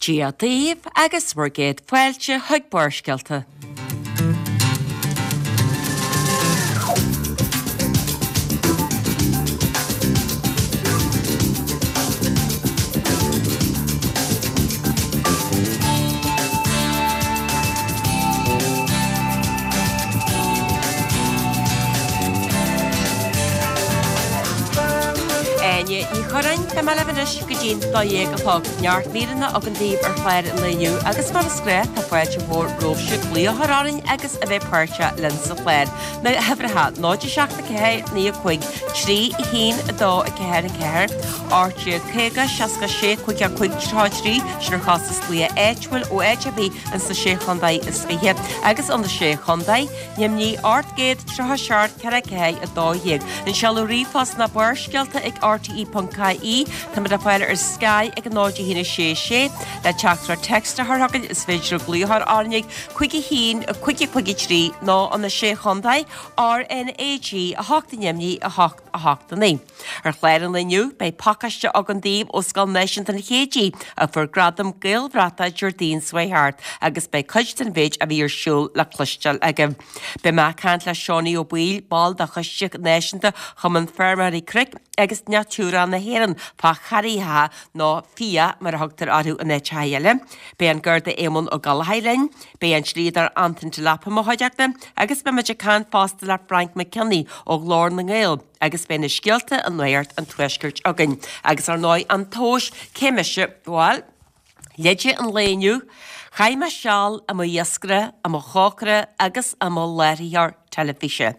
Dia daoibh agus bhur gcéad fáilte chuig Barrscéalta. Áine Ní Churráin, beidh mé libh anois go dtí'n 12 a chlog. Neart míreanna againn daoibh ar chlár an lae inniu agus mar is gnách tá fáilte mhór romhaibhse glaoch a chur orainn agus a bheith páirteach linn sa chlár. Na huimhreacha, 0 7 4 9 5 3 1 2 4 4, 18 50 66 55 33, sin ar chostas glaoch áitiúil ó áit ar bith ins na Sé Chontae is Fiche agus ó na Sé Chontae, Neimnigh 837 4 4 12. An seoladh ríomhphost ná barrscéalta ag rte.ie. Táimid le fáil ar Sky ag 0 1 6 6. Le teachtaireacht text a chur chugainn is féidir glaoch a chur orainn ag 5 1 5 5 3 nó ó na Sé Chontae, RnaG 8 neimnigh 8 8 9. Ar chlár an lae inniu, beidh pacáiste againn daoibh ó Scoil Náisiúnta an Chéididh a fuair gradam Gaelbhratach Déardaoin seo chuaigh thart agus beidh cuid den mhéid a bhí ar siúl le cloisteáil agaibh. Beidh mé ag caint le Seánie Ó Baoill, ball de Choiste Náisiúnta Chumann Feirmeoirí Cnoic agus Natura na hÉireann, fá charraigeacha nó fiach mar a thugtar orthu in áiteacha eile. Beidh an Garda Éamonn Ó Gallchóir linn, beidh an dlíodóir Antain Delap i mo chuideachta agus beidh muid ag caint fosta le Frank McKinney ó Ghlór na nGael agus beidh na scéalta i Nuacht an Tuaiscirt againn. Agus ar ndóigh an tomhas, cé mise? Bhuel, leide an lae inniu, chaith mé seal i mo iascaire, i mo chócaire agus i mo láithreoir teilifíse.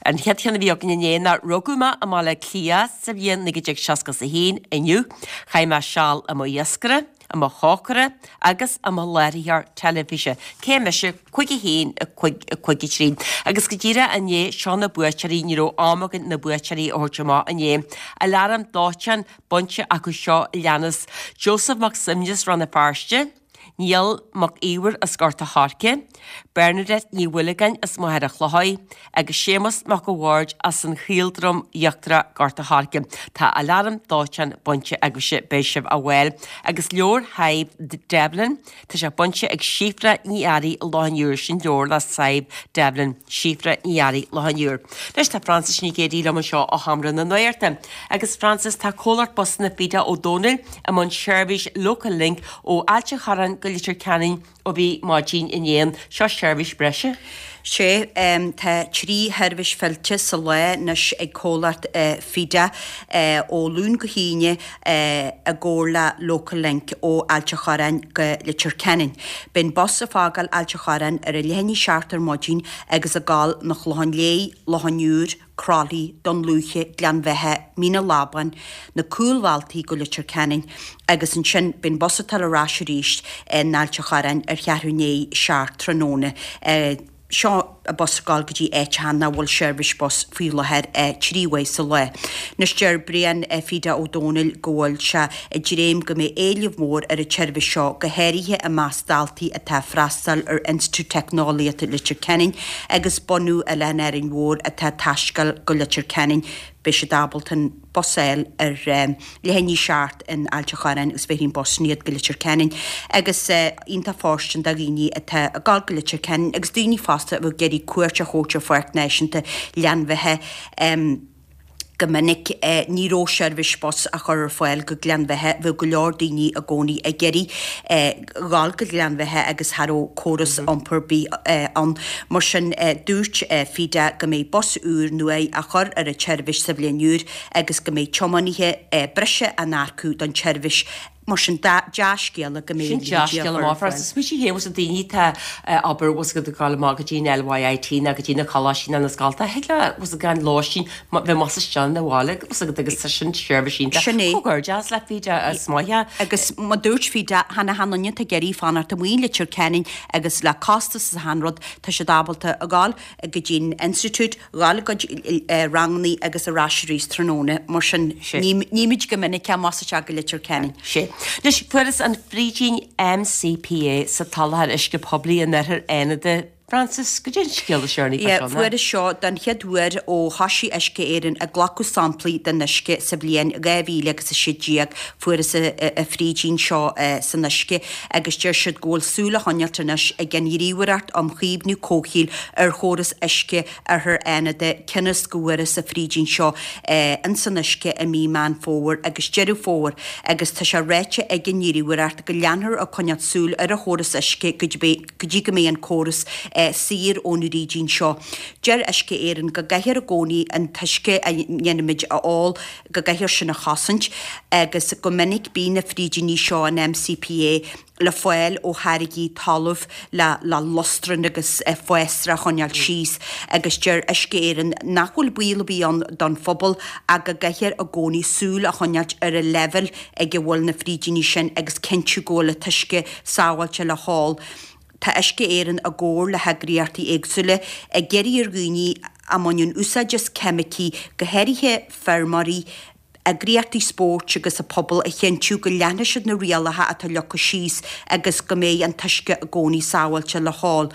An chéad cheann a bhí againn inné ná rugadh mé i mBaile Átha Cliath sa bhliain 1961, inniu, chaith mé seal i mo iascaire, i mo chócaire agus i mo láithreoir teilifíse. Cé mise? 5 1 5 5 3. Agus go díreach inné, seo na buaiteoirí, ní raibh am againn na buaiteoirí a thabhairt amach inné. Aláram dóiteáin bainte acu seo a leanas, Joseph Mac Suibhne as Rann na Feirste, Niall Mac Íomhair as Gort a' Choirce, Bernadette Ní Mhuilleagáin as Machaire Chlochair agus Séamus Mac a' Bhaird as an Chaoldroim Íochtarach, Gort a' Choirce. Tá aláram dóiteáin bainte agaibhse, beidh sibh á bhfáil. Agus leabhar Shadhbh Devlin, tá sé bainte ag Síofra Ní Fhearraigh, Loch an Iúir, sin leabhar le Sadhbh Devlin, Síofra Ní Fhearraigh, Loch an Iúir. Anois tá Frances Nic Géadaigh liom anseo ó Sheomra na Nuachta. Agus Frances, tá comhlacht busanna Fida Ó Dónaill i mbun seirbhís Local Link ó Ailt an Chorráin go Leitir Ceanainn ó bhí maidin inné. Seo seirbhís breise. Sea, tá 3 sheirbhís fillte sa lá anois ag comhlacht Fida ó Luan go hAoine i gcomhar le Local Link ó Ailt an Chorráin go Leitir Ceanainn. Beidh an bus ag fágáil Ailt an Chorráin ar a leath i ndiaidh 7 ar maidin agus ag gabháil 'na Chlocháin Léith, Loch an Iúir, Croithlí, Dún Lúiche, Gleann Bheatha, Mín an Lábáin, na cúlbhealtaí go Leitir Ceanainn agus ansin beidh an bus ag dul ar ais arís in Ailt an Chorráin ar cheathrú i ndiaidh 7 tráthnóna. Seo bus ag gabháil go dtí áiteacha nach bhfuil seirbhís bus faoi láthair 3 uair sa lá. Anois deir Brian Fida Ó Dónaill go bhfuil sé ag dréim go mbeidh éileamh mór ar an tseirbhís seo go háirithe i measc daltaí atá ag freastal ar Institiúid Teicneolaíochta Leitir Ceanainn agus bunadh Oileán Árainn Mhór atá ag taisteal go Leitir Ceanainn, beidh siad ábalta an bus a fháil ar leath i ndiaidh 7 in Ailt an Chorráin agus bhéarfaidh an bus sin iad go Leitir Ceanainn. Agus iontach fóirstean do dhaoine atá ag dul go Leitir Ceanainn agus daoine fosta a bheadh ag iarraidh cuairt a thabhairt ar Pháirc Náisiúnta Ghleann Bheatha. Go minic, ní raibh seirbhís bus á chur ar fáil go Gleann Bheatha. Bheadh go leor daoine i gcónaí ag iarraidh dhul go Gleann Bheatha agus cha raibh córas iompair ar bith ann. Mar sin, dúirt Fida go mbeidh bus úr nua á chur ar an tseirbhís sa bhliain úr agus go mbeidh tiománaithe breise á n-earcú don tseirbhís. Mar sin, dea-scéala go mbeidh Sin dea-scéala maith Frances. Smaointigh féin bhfuil daoine atá abair bhfuil siad ag dul amach go dtí an LYIT nó go dtí na coláistí nó na scoltacha. Thig leo bhfuil siad gan lóistín bheith amuigh istigh ina bhaile bhfuil siad agus tá sin seirbhís iontach. Sin é. Comhghairdeas le Fida is maith é. Agus mar dúirt Fida, chan achan duine atá ag iarraidh fanacht amuigh i Leitir Ceanainn agus le costas is achan rud, tá siad ábalta a ghabháil go dtí an institiúid, dhul a gcuid rangannaí agus ar ais arís tráthnóna, mar sin nímid go minic amach is isteach go Leitir Ceanainn. Sea. Anois, fuarthas an frídín MCPA sa tsoláthar uisce poiblí in oirthear Fhánada. Frances, goidé an scéal is deireanaí fá seo ná? Fuarthas seo don chéad uair ó thoisigh Uisce Éireann ag glacadh samplaí den uisce sa bhliain 2016. Fuarthas an frídín seo san uisce agus deir siad go bhfuil súil á choinneáilt anois ag an Ghníomhaireacht um Chaomhnú Comhshaoil ar chóras uisce Oirthear Fhánada cionn is go bhfuarthas an frídín seo ins an uisce i mí Meán Fómhair agus Deireadh Fómhair agus tá sé ráite ag an nGníomhaireacht go leanfar ag coinneáilt súil ar an chóras uisce go go dtí go mbeidh an córas saor ón fhrídín seo. Deir Uisce Éireann go gcaithfear i gcónaí an t-uisce a ndéanaimid a ól, go gcaithfear sin a chosaint agus go minic bíonn na frídíní seo, an MCPA, le fáil ó tháirgí talaimh le le lustran agus fásra a choinneáil síos agus deir Uisce Éireann nach bhfuil baol ar bith ann don phobal ach go gcaithfear i gcónaí súil a choinneáilt ar an leibhéal ag a bhfuil na frídíní sin agus cinntiú go bhfuil an t-uisce sábháilte le hól. Tá Uisce Éireann i gcomhar le heagraíochtaí éagsúla ag iarraidh ar dhaoine a mbaineann úsáid as ceimicí, go háirithe feirmeoirí, eagraíochtaí spóirt agus an pobal a chinntiú go leanfaidh siad na rialacha atá leagtha síos agus go mbeidh an t-uisce i gcónaí sábháilte le hól.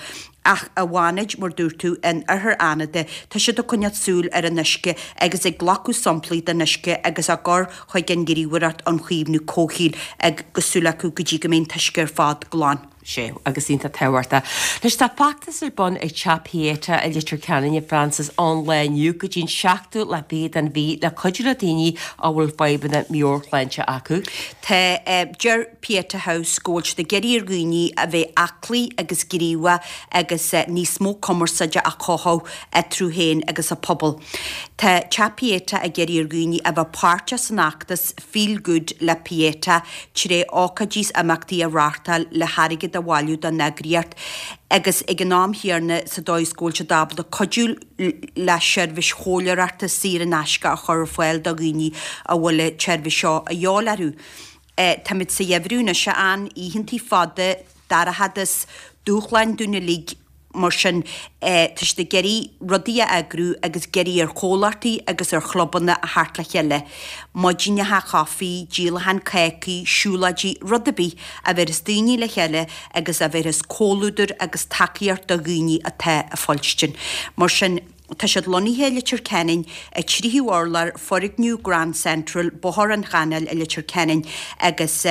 Ach i bhFánaid, mar dúirt tú, in Oirthear Fhánada, tá siad ag coinneáil súil ar an uisce agus ag glacadh samplaí den uisce agus á gcur chuig an nGníomhaireacht um Chaomhnú Comhshaoil agus súil acu go dtí go mbeidh an t-uisce ar fad glan. Sea, agus iontach tábhachtach. Anois tá feachtas ar bun ag Teach Pieta i Leitir Ceanainn, a Frances, ón lá inniu go dtí an seachtú lá fichead den mhí le cuidiú le daoine a bhfuil fadhbanna meabhairshláinte acu. Tá, deir Pieta House go bhfuil siad ag iarraidh ar dhaoine a bheith aclaí agus gníomhach agus níos mó cumarsáide a chothú eatarthu féin agus an pobal. Tá Teach Pieta ag iarraidh ar dhaoine a bheith páirteach san fheachtas Feel Good le Pieta tré ócáidí is imeachtaí a reáchtáil le hairgead a bhailiú don eagraíocht agus ag an am chéanna sa dóigh is go bhfuil siad ábalta cuidiú le seirbhís chomhairleoireachta saor in aisce a chur ar fáil do dhaoine a bhfuil an tseirbhís seo a dhíobháil orthu. Táimid sa gheimhreadh anois, a Ann, oícheantaí fada, dorchadas, dúshláin dúinn uilig, mar sin tá siad ag iarraidh rudaí a eagrú agus ag iarraidh ar chomhlachtaí agus ar chlubanna a theacht le chéile. Maidineacha chaife, díolachán cácaí, siúlóidí, rud ar bith a bhéarfas daoine le chéile agus a bhéarfas comhluadar agus tacaíocht do dhaoine atá ag fuilstin. Mar sin. Tá siad lonnaithe i Leitir Ceanainn, i tríú urlár foirgneamh Grand Central, Bóthar an Chanáil i Leitir Ceanainn agus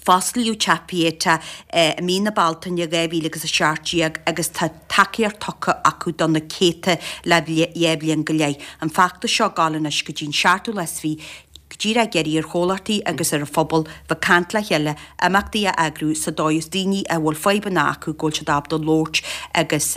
fosclaíodh Teach Pieta i mí na Bealtaine 2017 agus tá tacaíocht tugtha acu do na céadta le dhá bhliain go leith. An feachtas seo ag gabháil anois go dtí an seachtú lá is fiche, go díreach ag iarraidh ar chomhlachtaí agus ar an phobal bheith ag caint le chéile, imeachtaí a eagrú sa dóigh is daoine a bhfuil fadhbanna acu go bhfuil siad ábalta labhairt agus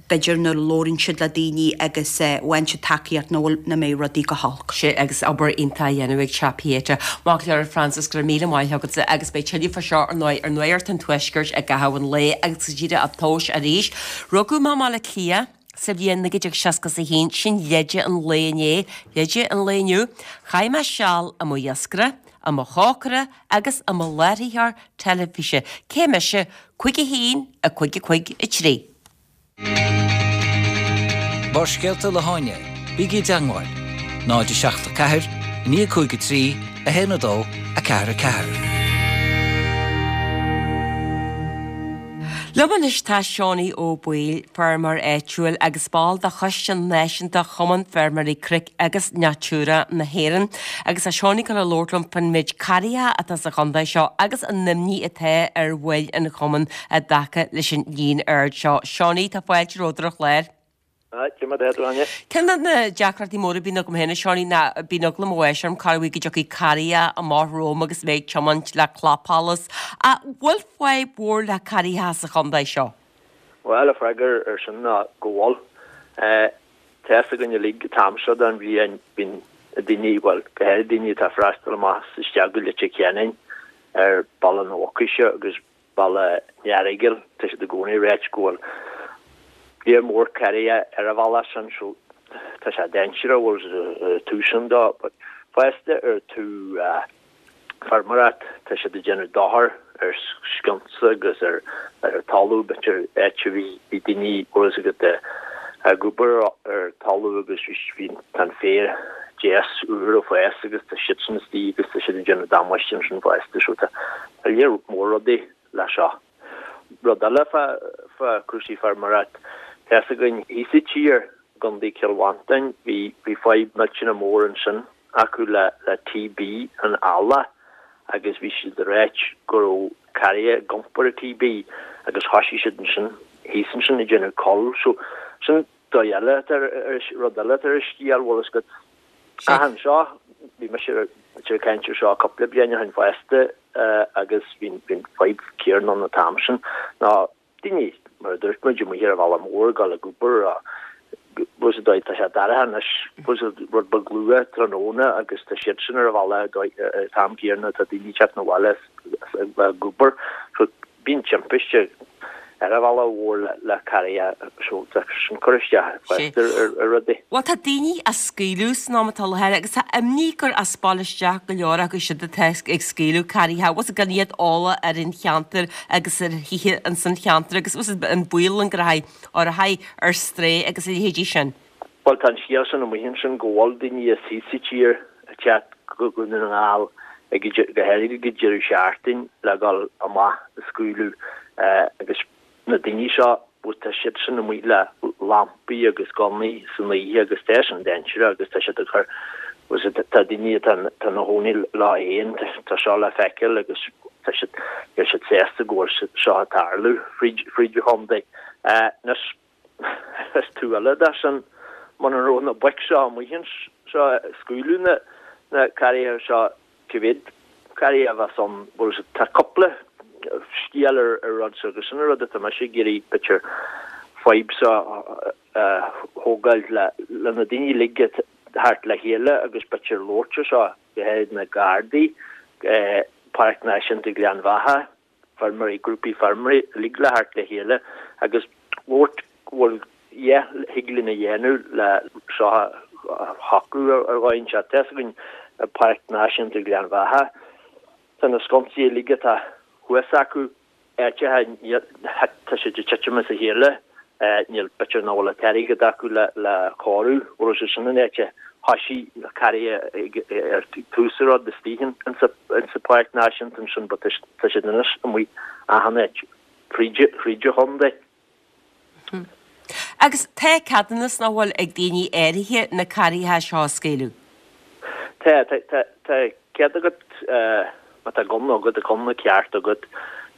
b'fhéidir nuair a labhraíonn siad le daoine agus faigheann siad tacaíocht nach bhfuil, nach mbeidh rudaí go holc. Sea, agus obair iontach á dhéanamh ag Teach Pieta. Maith go leor, a Frances, go raibh míle maith agatsa agus beidh tuilleadh fá seo ar ndóigh ar Nuacht an Tuaiscirt i gcaitheamh an lae agus go díreach á thomhas arís. Rugadh mé i mBaile Átha Cliath sa bhliain 1961, sin leide an lae inné, leide an lae inniu. Chaith mé seal i mo iascaire, i mo chócaire agus i mo láithreoir teilifíse. Cé mise? 5 1 5 5 3. Barrscéalta le hÁine, bígí i dteangmháil, 0 7 4 9 5 3 1 2 4 4. Liom anois tá Seánie Ó Baoill, feirmeoir áitiúil agus ball de Choiste Náisiúnta Chumann Feirmeoirí Cnoic agus Natura na hÉireann. Agus tá Seánie ag dul a labhairt liom faoin méid carraigeacha atá sa chontae seo agus an imní atá ar bhaill an chumainn i dtaca leis an líon ard seo. Seánie, tá fáilte romhat ar an chlár. Cad é mar atá tú, Áine. Ceann de na deacrachtaí móra a bíonn agam féin, a Seánie, ná bíonn eagla mo bháis orm corruair go dtiocfaidh carraig amach romham agus mé ag tiomáint le clapsholas. An bhfuil fadhb mhór le carraigeacha sa chontae seo? Bhuel, an freagra ar sin ná go bhfuil. Tá fhios againn uilig an t-am seo den bhliain bíonn daoine, bhuel, go háirithe daoine atá ag freastal amach is isteach go Leitir Ceanainn ar Bealach na Mucóige agus Bealach an Earagail, tá siad i gcónaí ag ráit go bhfuil léar mór carraighe ar an bhealach sin so tá sé dainséarach bhfuil tús ann dó but fosta ar taobh feirmeoireacht tá siad ag déanamh dochar ar sciúnsa agus ar ar talamh b'fhéidir áit a bhí bhí daoine bhfuil fhios agat ag obair ar talamh agus bhí tá an féar deas úr ag fás agus tá siadsan istigh agus tá siad ag déanamh damáiste ansin fosta so tá Tá léar mór rudaí le seo. Rud eile fá. fá cúrsaí feirmeoireacht. Tá fhios againn thíos sa tír, i gContae Chill Mhantáin, bhí bhí fadhb millteanach mór ansin acu le le TB an eallach agus bhí siad ag ráit go raibh carraithe ag iompar an TB agus thoisigh siad ansin thíos ansin ag déanamh cull. So sin dóigh eile atá ar ar rud eile atá ar an scéal, bhfuil fhios agat. Ach anseo, bhí mise ag caint ar seo cúpla bliain ó shin fosta agus bhí an fadhb céanna ann an t-am sin ná daoine, mar a dúirt muid, amuigh ar an bhealach mór ag dul ag obair bhfuil fhios agat tá sé dorcha anois, bhfuil fhios agat rud beag luath tráthnóna agus tá siad sin ar an bhealach an t-am céanna tá daoine ag teacht 'na bhaile as ag obair. So bíonn timpiste ar an bhealach mhór le carraithe so tá sin cur isteach fosta ar rudaí. Bhuel tá daoine á scaoileadh san am atá i láthair agus tá imní gur as baile isteach go leor acu siúd atá ag scaoileadh carraithe bhfuil fhios agat gan iad eolach ar an cheantar agus ar thithe ins an cheantar agus bhfuil fhios agat an baol ann go rachaidh ó rachaidh ar strae agus a leithéidí sin. Bhuel tá an scéal sin amuigh ansin go bhfuil daoine as thíos sa tír ag teacht go Dhún na nGall ag go háirithe ag an deireadh seachtaine le dhul amach ag scaoileadh agus na daoine seo bhuel tá siad sin amuigh le lampaí agus gunnaí san oíche agus tá sin dainséarach agus tá siad ag cur bhuel tá daoine atá ina chónaí leo féin tá seo le feiceáil agus tá siad níl siad sásta go bhfuil seo ag tarlú fríd fríd an chontae. Anois Is taobh eile de sin, muna raibh na boic seo amuigh anseo ag scaoileadh na na carraithe seo, cá mhéad carraithe a bheas ann? Bhuel, tá cúpla scéal ar an rud seo agus sin an rud atá mise ag iarraidh, b'fhéidir, fadhb seo a thógáil le le na daoine uilig a theacht le chéile agus b'fhéidir labhairt ar seo, go háirid na Gardaí, Páirc Náisiúnta Ghleann Bheatha, feirmeoirí, grúpaí feirmeoirí uilig le theacht le chéile agus labhairt go bhfuil yeah thig linn a dhéanamh le seo a shocrú ar dhóigh inteacht. Tá fhios againn i Páirc Náisiúnta Ghleann Bheatha tá na sconsaí uilig atá thuas acu áiteacha tá siad ag titim as a chéile. Níl, b'fhéidir nach bhfuil an t-airgead acu le cóiriú, bhfuil sé sin an áit a thoisigh na carraithe ar tús an rud istigh insa Pháirc Náisiúnta ansin but tá siad anois amuigh achan áit fríd an chontae. Agus tá ceadúnas nach bhfuil ag daoine áirithe na carraithe seo a scaoileadh? Tá, tá, tá cead agat, má tá gunna agat, gunna ceart agat,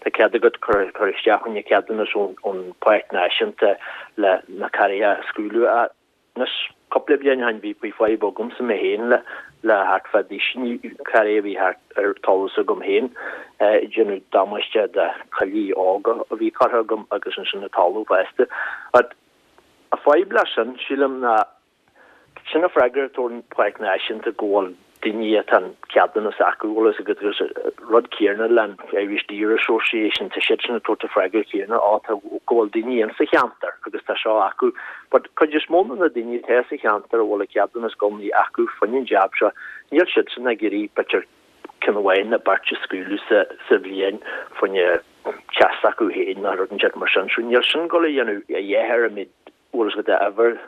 tá cead agat cur, cur isteach fá choinne ceadúnas ón, ón Pháirc Náisiúnta le na carraithe a scaoileadh. Anois, cúpla bliain ó shin bhí, bhí fadhb agamsa mé féin le, le thart fá duisín carraithe a bhí thart ar talamh s'agam féin, ag déanamh damáiste do choillidh óga a bhí curtha agam agus ansin an talamh fosta. But, a fadhb leis sin, sílim, ná Sin an freagra a tabharann Páirc Náisiúnta go bhfuil daoine atá an ceadúnas acu, bhfuil fhios agat, agus rud céanna le an Irish Deer Association, tá siad sin ag tabhairt an freagra céanna, á tá, go bhfuil daoine insa cheantar agus tá seo acu. But cuid is mó de na daoine atá sa cheantar a bhfuil an ceadúnas gunnaí acu fá choinne an jab seo, níl siad sin ag iarraidh b'fhéidir ceann amháin nó beirt a scaoileadh sa sa bhliain fá choinne teas acu féin nó rud inteacht mar sin. So níl sin ag dul a dhéanamh a dhath ar an méid bhfuil fhios agat uimhir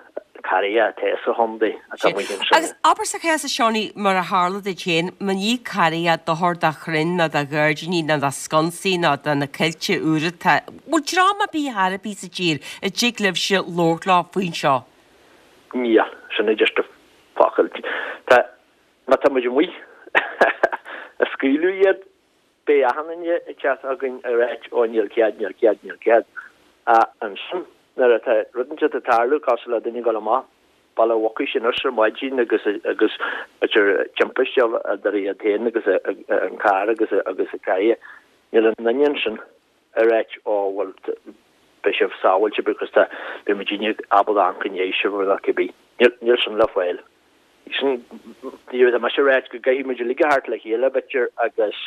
carraithe atá sa chontae atá amuigh ansin. Agus abair sa chás a Seánie, mar a tharla duit féin, má ní carraithe dochar do chrainn ná do ghairdíní ná do sconsaí ná do na coillte úra atá, bhfuil dream ar bith ar bith sa tír a dtig libhse labhairt leo faoin seo? Níl, sin é just an focal. Tá, má tá muid amuigh ag scaoileadh iad, Beidh achan duine ag teacht chugainn ag ráit ó níl cead, níl cead, níl cead. Ach ansin nuair atá rud inteacht ag tarlú, cosúil le duine ag dul amach Baile Mhucais anois ar maidin agus agus b'fhéidir timpiste idir iad féin agus an carr agus agus an carraig, níl aon duine ansin ag ráit ó bhuel beidh sibh sábháilte because tá beidh muidinne ábalta amharc i ndiaidh sibh nó cibé. Níl sin le fáil. Sin, tá mise ag ráit go gcaithfidh muid uilig a theacht le chéile, b'fhéidir, agus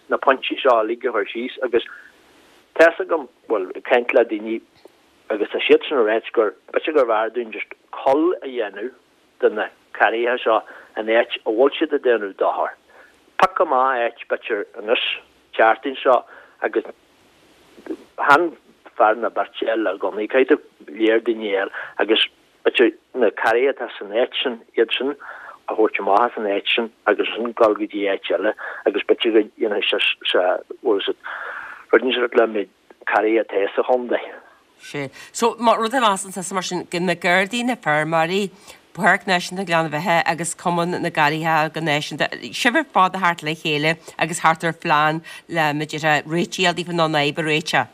na pointí seo uilig a chur síos agus tá fhios agam, bhuel, ag caint le daoine agus tá siadsan ag ráit gur, b'fhéidir gurbh fhearr dúinn just cull a dhéanamh de na carraithe seo an áit a bhfuil siad ag déanamh dochar. Pioc amach áit, b'fhéidir, anois, tseachtain seo agus chan fear ná beirt eile le gunnaí, caithfidh tú léir daoine eile agus B'fhéidir na carraithe atá san áit sin, iad sin a thabhairt amach as an áit sin agus ansin dul go dtí áit eile agus b'fhéidir go dhéanfaidh sé, sé, bhfuil fhios agat, rud inteacht le méid carraithe atá sa chontae. Sea. So, má rud a mheasann tusa mar sin, go na Gardaí, na feirmeoirí, Páirc Náisiúnta Ghleann Bheatha agus Cumann na gCarraigeacha go náisiúnta, sibh ar fad a theacht le chéile agus theacht ar phlean le, b'fhéidir, réitigh a fháil daofa nó an fhadhb a réiteach.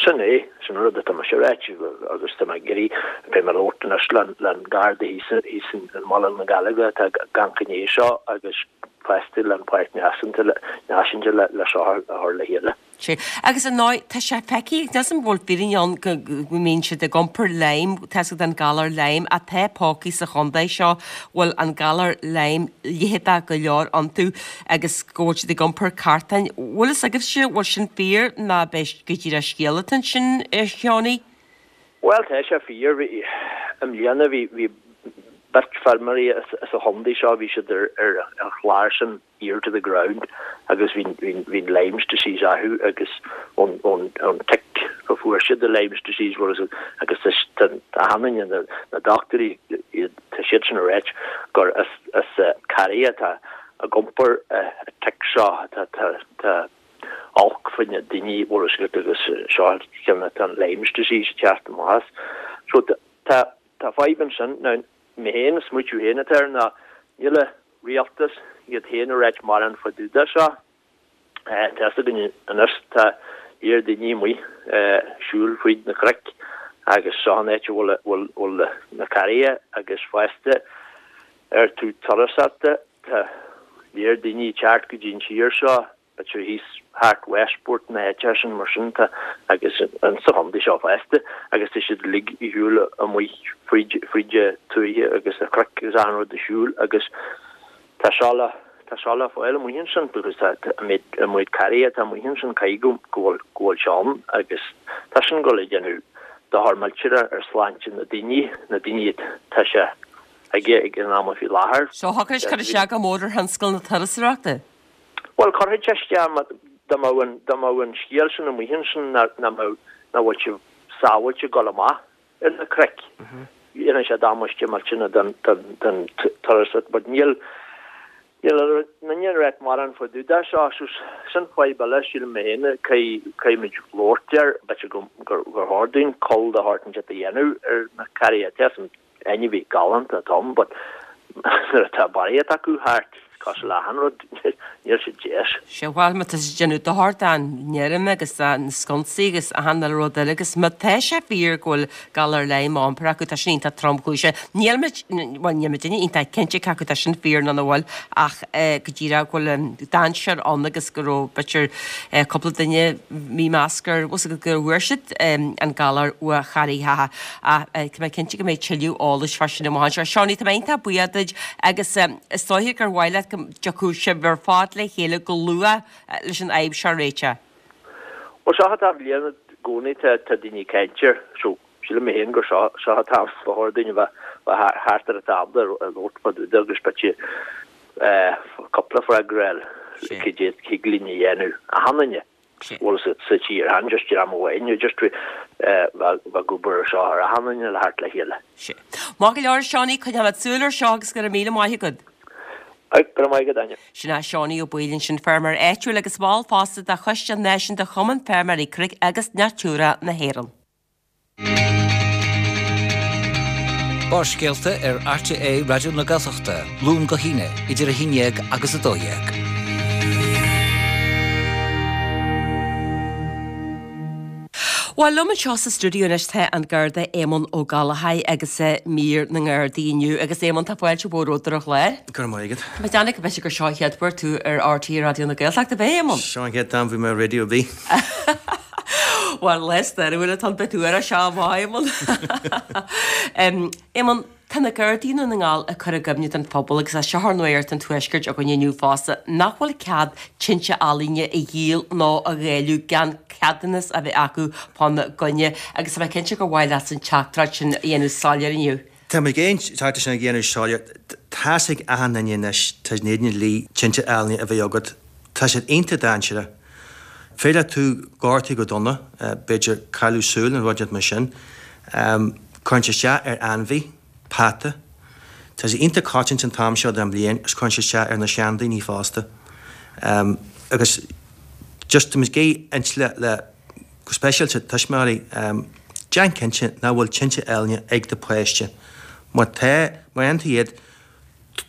Sin é, sin an rud atá mise a ráit agus tá mé ag iarraidh, beidh mé ag labhairt anois le an Garda thíos thíos i mBaile na Gallóige atá ag amharc i ndiaidh seo agus fosta le an Pháirc Náisiúnta Náisiúnta le seo a chur le chéile. Sea. Agus ar ndóigh, tá sé feicthe, níl 'fhios a'm an bhfuil fírinne ann go mbíonn siad ag iompar Lyme, tá 'fhios agat an galar Lyme, ach tá pócaí sa chontae seo bhfuil an galar Lyme leitheadach go leor iontu agus go bhfuil siad ag iompar cartáin. Bhfuil fhios agaibhse, bhfuil sin fíor nó ab é go díreach scéal atá ansin, a Sheánie? Bhuel, tá sé fíor. Bhí, i mbliana, bhí, bhí beirt feirmeoirí as an chontae seo, bhí siad ar, ar an chlár sin, ear to the ground agus bhí bhí an Lyme's disease orthu agus ón ón ón tick a fuair siad the Lyme's disease bhfuil fhios agat agus tá tá achan duine na na dochtúirí iad tá siad sin ag ráit gur as as carraig atá ag iompar an tick seo tá tá tá olc faoi na daoine bhfuil fhios agat agus seo ceann atá an Lyme's disease ag teacht amach as so tá tá fadhb ansin now mé féin an smaoitiú féin atá air ná níl a rialtas iad féin ag ráit mórán fá dtaobh de seo. Tá fhios againn anois tá lear daoine amuigh siúl fríd na cnoic agus seo an áit a bhfuil bhfuil na carraighe agus fosta ar taobh turasóireachta tá lear daoine ag teacht go dtí an tír seo b'fhéidir thíos thart Westport na háite sin mar sin tá agus in sa chontae seo fosta agus tá siad uilig ag siúl amuigh fríd fríd an tuaithe agus na cnoic agus achan rud ag siúl agus tá seo le tá seo le fáil amuigh ansin because tá an méid an méid carraighe atá amuigh ansin caithfidh go go bhfuil go bhfuil sé ann agus tá sin ag dul ag déanamh dochar millteanach ar sláinte na daoine na daoine tá sé aige ag an am faoi láthair. So thiocfadh cur isteach go mór ar thionscal na turasóireachta. Bhuel, cuirfidh sé isteach má, dá mbeadh an, dá mbeadh an scéal sin amuigh ansin nach, nach mbeadh, nach bhfuil sibh sábháilte ag dul amach ar na cnoic. Dhéanfadh sé damáiste millteanach don, don, don turas but níl, níl aon duine ag ráit mórán fá dtaobh de seo, so sin fadhb eile sílim mé féin, caithfidh, caithfimid labhairt air, b'fhéidir go, gur, gur chóir dúinn cul de shórt inteacht a dhéanamh ar na carraighe. Tá san ainmhí galánta atá ann but nuair atá barraíocht acu thart, cosúil le achan rud, níl siad deas. Sea, bhuel, má tá siad ag déanamh dochar don fheirm agus do na sconsaí agus achan uile rud eile agus má tá sé fíor go bhfuil galar Lyme á iompar acu, tá sin iontach tromchúiseach. Níl muid, bhuel, níl muidinne iontach cinnte cé acu tá sin fíor nó nach bhfuil ach go díreach go bhfuil an dainséar ann agus go raibh, b'fhéidir, cúpla duine mímheas gur, bhfuil 's agat, go bhfuair siad an galar ó charraigeacha. Ach tá mé cinnte go mbeidh tuilleadh eolais fá sin amach anseo. Seánie, tá mé iontach buíoch duit agus is dóiche gur mhaith leat go dtiocfadh sibh ar fad le chéile go luath leis an fhadhb seo a réiteach. Bhuel, seo atá bliain i gcónaí tá daoine ag caint air so sílim mé féin gur seo seo atá ba chóir dúinn a bheith thart ar an tábla ag labhairt fá dtaobh de agus b'fhéidir cúpla freagra a fháil cad é thig linn a dhéanamh achan duine. bhfuil sa sa tír chan just dream amháin just bheith ag obair ar seo ar achan duine le theacht le chéile. Sea. Maith go leor a Seánie, coinneoimid súil ar seo agus go raibh míle maith agat. Go raibh maith agat Áine. Sin é Seánie Ó Baoill ansin, feirmeoir áitiúil agus ball fosta de Choiste Náisiúnta Chumann Feirmeoirí Cnoic agus Natura na hÉireann. Barrscéalta ar RTÉ Raidió na Gaeltachta, Luan go hAoine, idir 11 agus 12. Bhuel, liom anseo sa stiúideo anois tá an Garda Éamonn Ó Gallchóir agus mír na nGardaí inniu. Agus Éamonn, tá fáilte mhór romhat ar an chlár. Go raibh maith agat. Tá mé ag déanamh go mb'fhéidir gur seo an chéad uair tú ar RTÉ Raidió na Gaeltachta, ab é, Éamonn? Seo an chéad am bhí mé ar raidió ar bith. Bhuel, lá stairiúil atá ann beidh tú ar an seo amach, Éamonn. Éamonn, tá na Gardaí i nDún na nGall ag cur i gcuimhne don phobal, agus é seo ar Nuacht an Tuaiscirt againn inniu fosta, nach bhfuil cead tinte ealaíne a dhíol nó a dháileadh gan ceadúnas a bheith acu fána gcoinne, agus tá mé cinnte gur mhaith leatsa an teachtaireacht sin a dhéanamh soiléir inniu. Tá mé ag an teachtaireacht sin a dhéanamh soiléir. Tá's ag achan duine anois, tá in éadan an dlí tinte ealaíne a bheith agat. Tá siad iontach dainséarach. Féidir leat tú gortú go dona, b'fhéidir cailleadh súil nó rud inteacht mar sin. Cuireann sé isteach ar ainmhí, peata. Tá sé iontach coitianta an t-am seo den bhliain agus cuireann sé isteach ar na seandaoine fosta. Agus just tá muid ag inse le, go speisialta tuismitheoirí, déan. Déan cinnte nach bhfuil tinte ealaíne ag do pháiste. Má tá, má fhaigheann tú iad,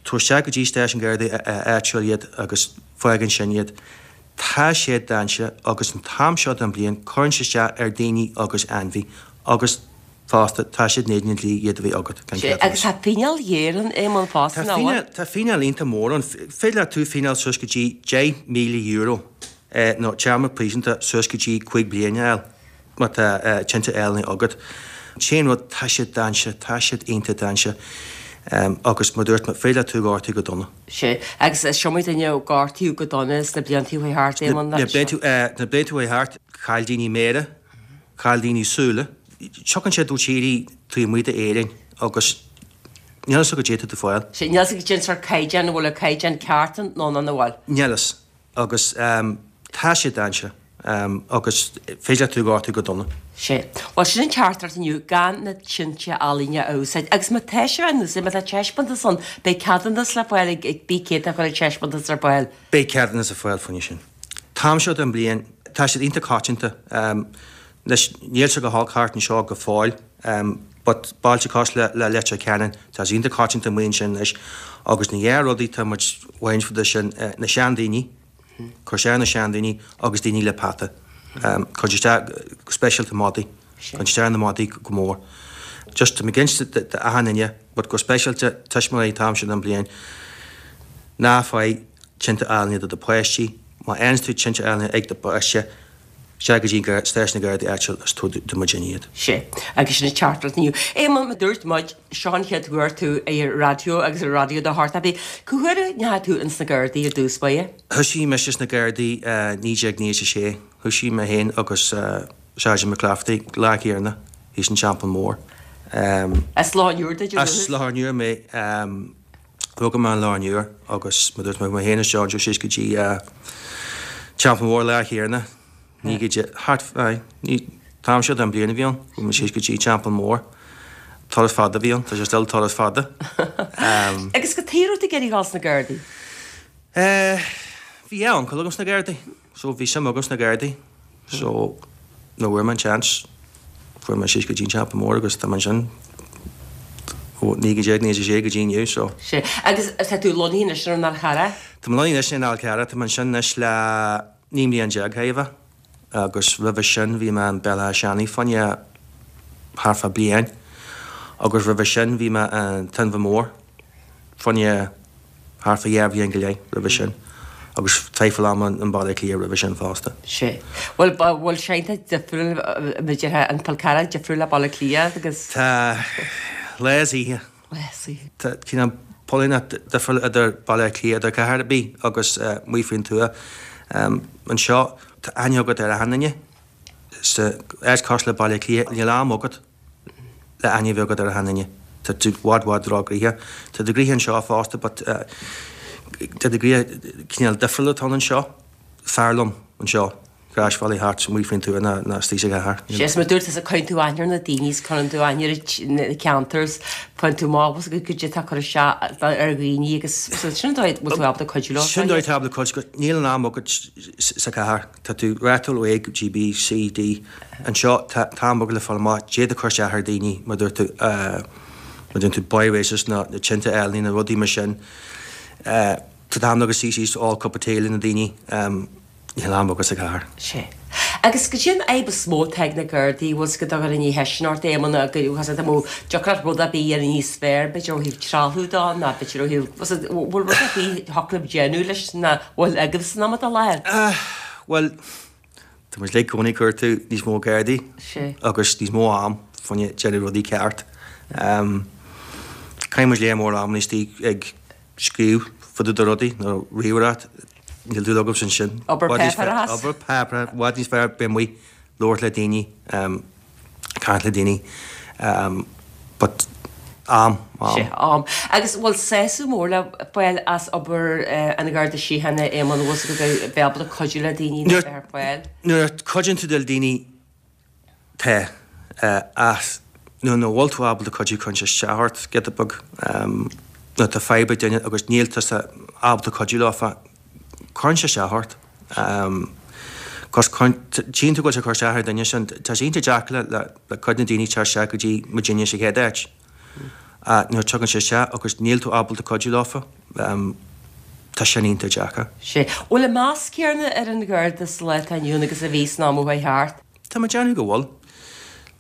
tabhair isteach go dtí stáisiún Gardaí áitiúil iad agus fág ansin iad. Tá siad dainséarach agus an t-am seo den bhliain cuireann sé isteach ar daoine agus ainmhí agus fosta tá siad in éadan an dlí iad a bheith agat, gan Sea, ceadúnas. agus tá fíneáil ghéar ann, Éamonn, fosta, Tá nach bhfuil? fíneáil, tá fíneáil iontach mór ann. Féidir leat tú fíneáil suas go dtí €10,000 nó téarma príosúnta suas go dtí 5 bliana a fháil. Má tá tinte ealaíne agat. An t-aon rud, tá siad dainséarach, tá siad iontach dainséarach agus mar dúirt mé, féidir leat tú gortú go dona. Sea, agus is iomaí duine a gortaíodh go dona sna blianta a chuaigh thart, Éamonn, Na blianta a chuaigh thart, chaill daoine méara, chaill daoine súile. Tiocfaidh siad ó tírí taobh amuigh d'Éirinn agus níl fhios agat goidé atá tú fáil. Sea, níl fhios agat cén sórt caighdeán, an bhfuil an caighdeán ceart ann nó nach bhfuil. Níl fhios. Agus tá sé dainséarach agus féidir leat tú gortú go dona. Sea. Bhuel, sin an teachtaireacht inniu, gan na tinte ealaíne a úsáid. Agus má tá sibh á n-úsáid, má tá taispeántas ann, beidh ceadúnas le fáil ag bí cé atá ag cur an taispeántas ar fáil. Beidh ceadúnas le fáil fá choinne sin. T-am seo den bhliain, tá siad iontach coitianta. Anois, níl sé go holc thart anseo go fóill, but bailte cosúil le Leitir Ceanainn, tá sé iontach coitianta amuigh ansin anois agus na dhá rudaí tá muid bhaint fada sin, na seandaoine, cur isteach ar na seandaoine agus daoine le peata. Cur isteach go speisialta madaí, cur isteach ar na madaí go mór. Just tá mé ag inse d'achan duine, but go speisialta tuismitheoirí an t-am seo den bhliain, ná faigh tinte ealaíne do do pháistí, má fhaigheanns tú tinte ealaíne ag do pháiste, Isteach go dtí stáisiún na Gardaí áitiúil is tabhair do muidinne iad. Sea, agus sin an teachtaireacht inniu. Éamonn, mar dúirt muid, seo an chéad uair tú ar raidió agus ar Raidió do Thart Abbey. Cá huair a ndeachaigh tú ins na Gardaí ar dtús báire? Thoisigh mise sna Gardaí 1996. Thoisigh mé féin agus Sergeant McClafferty, lá céanna, thíos an Teampall Mór. As Loch an Iúir duit ó dhúchas? As Loch an Iúir mé. Rugadh mé in Loch an Iúir agus mar dúirt mé, mé féin is John Joe síos go dtí Teampall Mór lá chéanna, ní go dtí, thart, aye, ní, t-am seo den bliain a bhí ann, chuaigh mé síos go dtí Teampall Mór. Turas fada a bhí ann, tá sé still turas fada. Agus cad chuige a raibh tú ag iarraidh dhul sna Gardaí? Eh, bhí dhá uncail agam sna Gardaí. So bhí suim agam sna Gardaí. So nuair a fuair mé an seans, fuair mé síos go dtí an Teampall Mór agus tá mé ansin ó 1996 go dtí inniu so. Sea. Agus tá tú lonnaithe anois ar an Fhál Charrach? Tá mé lonnaithe anois ar an Fhál Charrach. Tá mé ansin anois le 19 mbliain chóir a bheith agus roimhe sin bhí mé in Béal Átha Seanaidh fá choinne thart fá bliain agus roimhe sin bhí mé in Inbhir Mór fá choinne thart fá dhá bhliain go leith roimhe sin agus traidhfil ama i mBaile Átha Cliath roimhe sin fosta. Sea. Bhuel, bhfuil sé iontach difriúil, b'fhéidir, an Fál Carrach difriúil le Baile Átha Cliath agus. Tá lá is oíche. Lá is oíche. Tá cineál póilíneacht difriúil idir Baile Átha Cliath, idir cathair ar bith agus amuigh faoin tuath. Anseo, tá aithne agat ar achan duine. Sa áit cosúil le Baile Átha Cliath, níl am agat. le aithne a bheith agat ar achan duine. Tá tú i bhfad bhfad róghnoitheach. Tá tú gnoitheach anseo fosta but tá tú gnoitheach cineál difriúil atá ann anseo. Fearr liom anseo, Gráisbhealaí thart amuigh faoin tuath ná ná istigh sa chathair. Sea, is mar dúirt tusa cuireann tú aithne ar na daoine is cuireann tú aithne ar na ceantair is faigheann tú amach goidé atá ag cur isteach ar dhaoine agus sin an dóigh a bhfuil tú ábalta cuidiú leo. Sin an dóigh atá ábalta cuidiú, níl an am agat sa chathair. Tá tú rathúil ó A go dtí B, C, D. Anseo, tá am agat le fáil amach goidé atá ag cur isteach ar daoine, mar dúirt tú, mar dúirt tú, boy races nó na tinte ealaíne, na rudaí mar sin. Tá t-am agat suí síos ól cup of tea le na daoine. Níl am agat sa chathair. Sea. Agus goidé an fhadhb is mó atá ag na Gardaí, bhfuil 's agat dá gcuirfinn ceist ort, Éamonn, agus dá mbeadh deacracht rud ar bith a dhéanamh níos fearr, b'fhéidir ó thaobh trealamh de nó b'fhéidir ó thaobh, bhfuil rud ar bith a thiocfadh libh déanamh leis nach bhfuil agaibh san am atá i láthair? Bhuel, tá muid uilig i gcónaí ag cuartú níos mó Gardaí agus níos mó am fá choinne déanamh rudaí ceart. Caitheann muid lear mór am istigh ag scríobh fá dtaobh de rudaí nó ríomhaireacht, níl dúil agamsa ansin. Obair páipéarachas. Obair páipéarachas, i bhfad níos fearr bheith amuigh, labhairt le daoine, caint le daoine, but am, am. Sea, am. Agus bhfuil sásamh mór le fáil as obair an Gharda Síochána, Éamonn, bhfuil 's agat bheith ábalta cuidiú le daoine nó bheith ar fáil? Nuair a chuidíonn tú le daoine, Tá. Ach nuair nach bhfuil tú ábalta cuidiú cuireann sé isteach ort giota beag. Nuair atá fadhb ag duine agus níl tusa ábalta cuidiú leofa, cuireann sé isteach ort. Cos tchíonn tú go bhfuil sé ag cur isteach ar an duine sin. Tá sé iontach deacair le le cuid de na daoine teacht isteach go dtí muidinne sa chéad áit. Nuair a tagann sé isteach agus níl tú ábalta cuidiú leofa, tá sin iontach deacair. Sea. Bhfuil an meas céanna ar an Gharda sa lá atá inniu ann agus a bhí san am a chuaigh thart? Tá mé ag déanamh go bhfuil.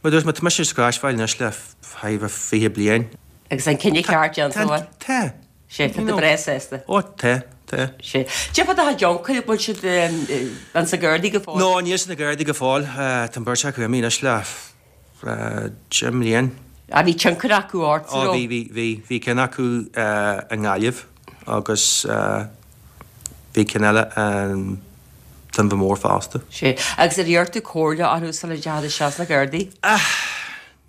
Mar a dúirt mé, tá mise sa Ghráinseamhail anois le thar 20 bliain. Agus an cinneadh ceart déanta, an bhfuil? Tá. Sea, tá tú breá sásta. Ó, tá, tá. Sea. Cad é fá do chuid uncail, bhfuil siad ins na Gardaí go fóill? No, níl siad sna Gardaí go fóill. Tá an bheirt acu imithe anois le 10 mbliain. Ah, bhí tionchar acu ort, an raibh? Ó, bhí, bhí, bhí. Bhí ceann acu i nGaillimh agus bhí ceann eile in Inbhir Mór fosta. Sea. Agus ar iarr tú comhairle orthu sula ndeachaigh tú isteach sna Gardaí? Ah!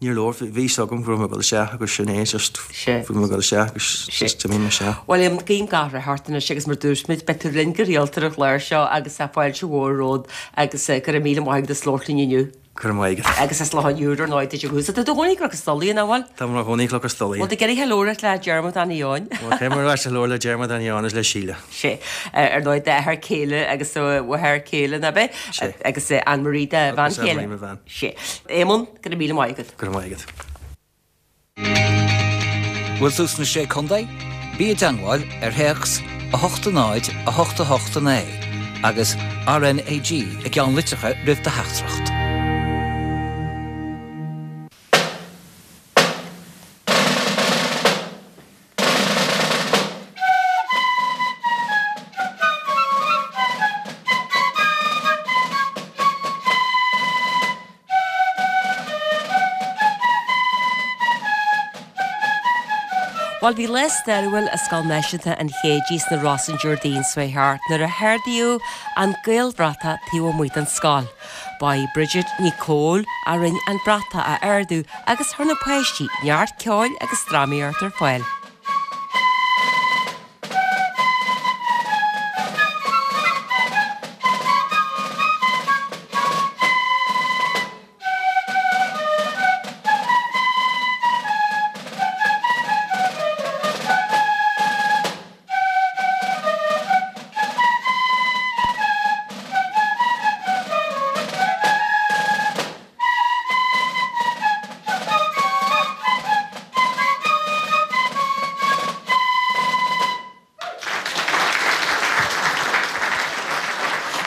Níor leor, bhí fhios agam go raibh mé ag dul isteach agus sin é, just bhí mé ag dul isteach agus just d'imigh mé isteach. Bhuel, guím gach rath ort anois agus mar dúirt muid, beidh tú linn go rialta ar an chlár seo agus tá fáilte mhór romhat agus go raibh míle maith agat as labhairt linn inniu. Go raibh maith agat. Agus as Loch an Iúir ar ndóigh duit ó thús. Tá tú i do chónaí i gCnoc an Stolaire, nach bhfuil? Tá mé i mo chónaí i gCnoc an Stolaire. Bhfuil tú ag iarraidh labhairt le Diarmuid Annie Eoin? Bhuel, caithfidh mé ar ais a labhairt le Diarmuid Annie Eoin agus le Síle. Sea. Ar ndóigh, d'athair céile agus do mháthair céile, nach ea? Sea. Agus Anne Marie do bhean Agus Anne chéile. Marie mo bhean. Sea. Éamonn, go raibh míle maith agat. Go raibh maith agat. Bhfuil tú sna Sé Contae? Bí i dteangmháil ar théacs 8 0 8 8 9 agus RNAG i gceannlitreacha roimh do theachtaireacht. Bhuel, bhí lá stairiúil i Scoil Náisiúnta an Chéidigh sna Rosa an Déardaoin seo chuaigh thart nuair a hardaíodh an Gaelbhratach taobh amuigh den scoil. Ba í Bridget Ní Chomhaill a rinne an bratach a ardú agus chuir na páistí neart ceoil agus drámaíocht ar fáil.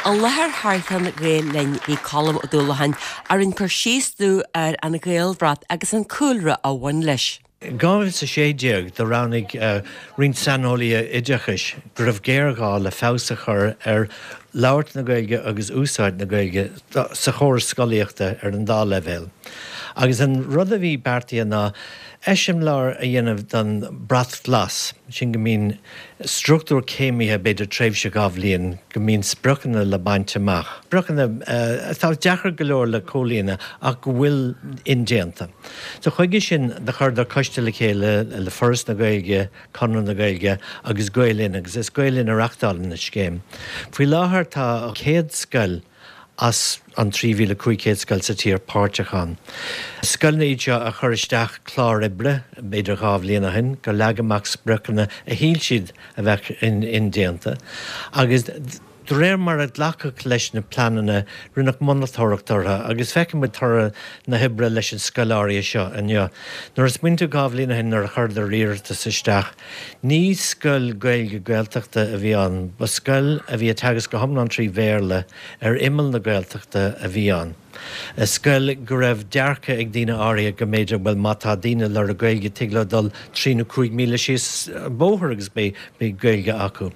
I láthair thar cheann Ghael Linn bhí Colm Ó Dúlacháin a rinne cur síos dúinn ar an Ghaelbhrat agus an cúlra a bhain leis. I 2016 do roghnaigh roinnt saineolaithe oideachais go raibh géarghá le feabhas a chur ar labhairt na Gaeilge agus úsáid na Gaeilge sa chóras scolaíochta ar an dá leibhéal. Agus an rud a bhí beartaithe ná eiseamláir a dhéanamh don Bhrat Glas, sin go mbíonn struchtúr céimithe, b'fhéidir tréimhse 2 bhliain, go mbíonn spriocanna le baint amach, spriocanna atá deacair go leor le comhlíonadh ach go bhfuil indéanta. So chuige sin do chuireadar coiste le chéile le Foras na Gaeilge, Conradh na Gaeilge agus Gael Linn agus is Gael Linn a reachtálann an scéim. Faoi láthair tá 100 scoil as an 3,500 scoil sa tír páirteach ann. Scoileanna iad seo a chuir isteach clár oibre, b'fhéidir 2 bhliain ó shin, gur leag amach spriocanna a shíl siad a bheadh indéanta agus de réir mar a glacadh leis na pleananna, rinneadh monatóireacht orthu agus feiceann muid toradh na hoibre leis an scoil áirithe seo inniu. Nuair a smaoiníonn tú 2 bhliain ó shin nuair a chuireadar iarratas isteach, ní scoil Gaeilge Gaeltachta a bhí ann, ba scoil a bhí ag teagasc go hiomlán trí Bhéarla ar imeall na Gaeltachta a bhí ann. Scoil go raibh dearcadh ag daoine áirithe go mb'fhéidir, bhuel má tá daoine ag lorg Gaeilge tig leo dul trí nó 5 míle síos an bóthar agus beidh Gaeilge acu.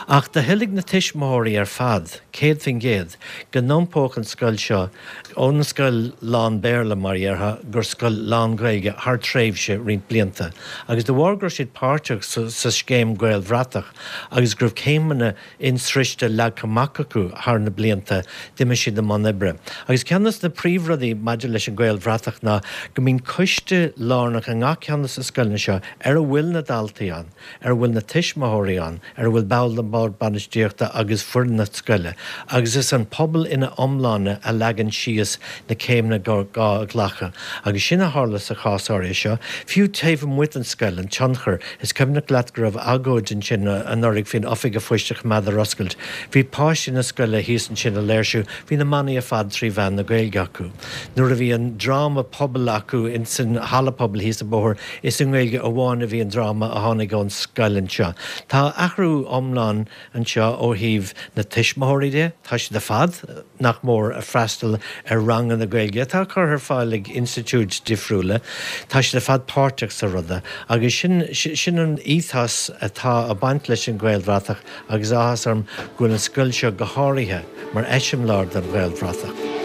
Ach do thoiligh na tuismitheoirí ar fad, 100%, go n-iompódh an scoil seo ón scoil lán-Bhéarla, mar a dhéarfá, gur scoil lán-Ghaeilge thar tréimhse roinnt blianta. Agus de bharr go raibh siad páirteach sa scéim Gaelbhratach agus go raibh céimeanna insroichte leagtha amach acu thar na blianta, d'imigh siad i mbun oibre. Agus ceann. Ceann de na príomhrudaí maidir leis an Ghaelbhratach ná go mbíonn coiste lárnach i ngach ceann de na scoileanna seo ar a bhfuil na daltaí ann, ar a bhfuil na tuismitheoirí ann, ar a bhfuil ball den bhord bainistíochta agus foireann na scoile, agus is an pobal ina iomláine a leagann síos na céimeanna gur gá a ghlacadh. Agus sin a tharla sa chás áirithe seo, fiú taobh amuigh den scoil, an tionchar. Is cuimhneach leat go raibh agóid ansin anuraidh faoin oifig an phoist a choimeád ar oscailt. Bhí páistí na scoile thíos ansin ag léirsiú, bhí na manaí ar fad trí mheán na Gaeilge acu. Nuair a bhí an dráma pobail acu insan halla pobail thíos an bóthar, Is i nGaeilge amháin a bhí an dráma a tháinig ón scoil anseo. Tá athrú iomlán anseo ó thaobh na tuismitheoirí de, tá siad ar fad, nach mór, ag freastal ar ranganna Gaeilge atá curtha ar fáil ag institiúid difriúla. Tá siad ar fad páirteach sa rud agus sin, sin an ethos atá ag baint leis an Ghaelbhratach. Agus áthas orm go bhfuil an scoil seo go háirithe mar eiseamláir don Ghaelbhratach.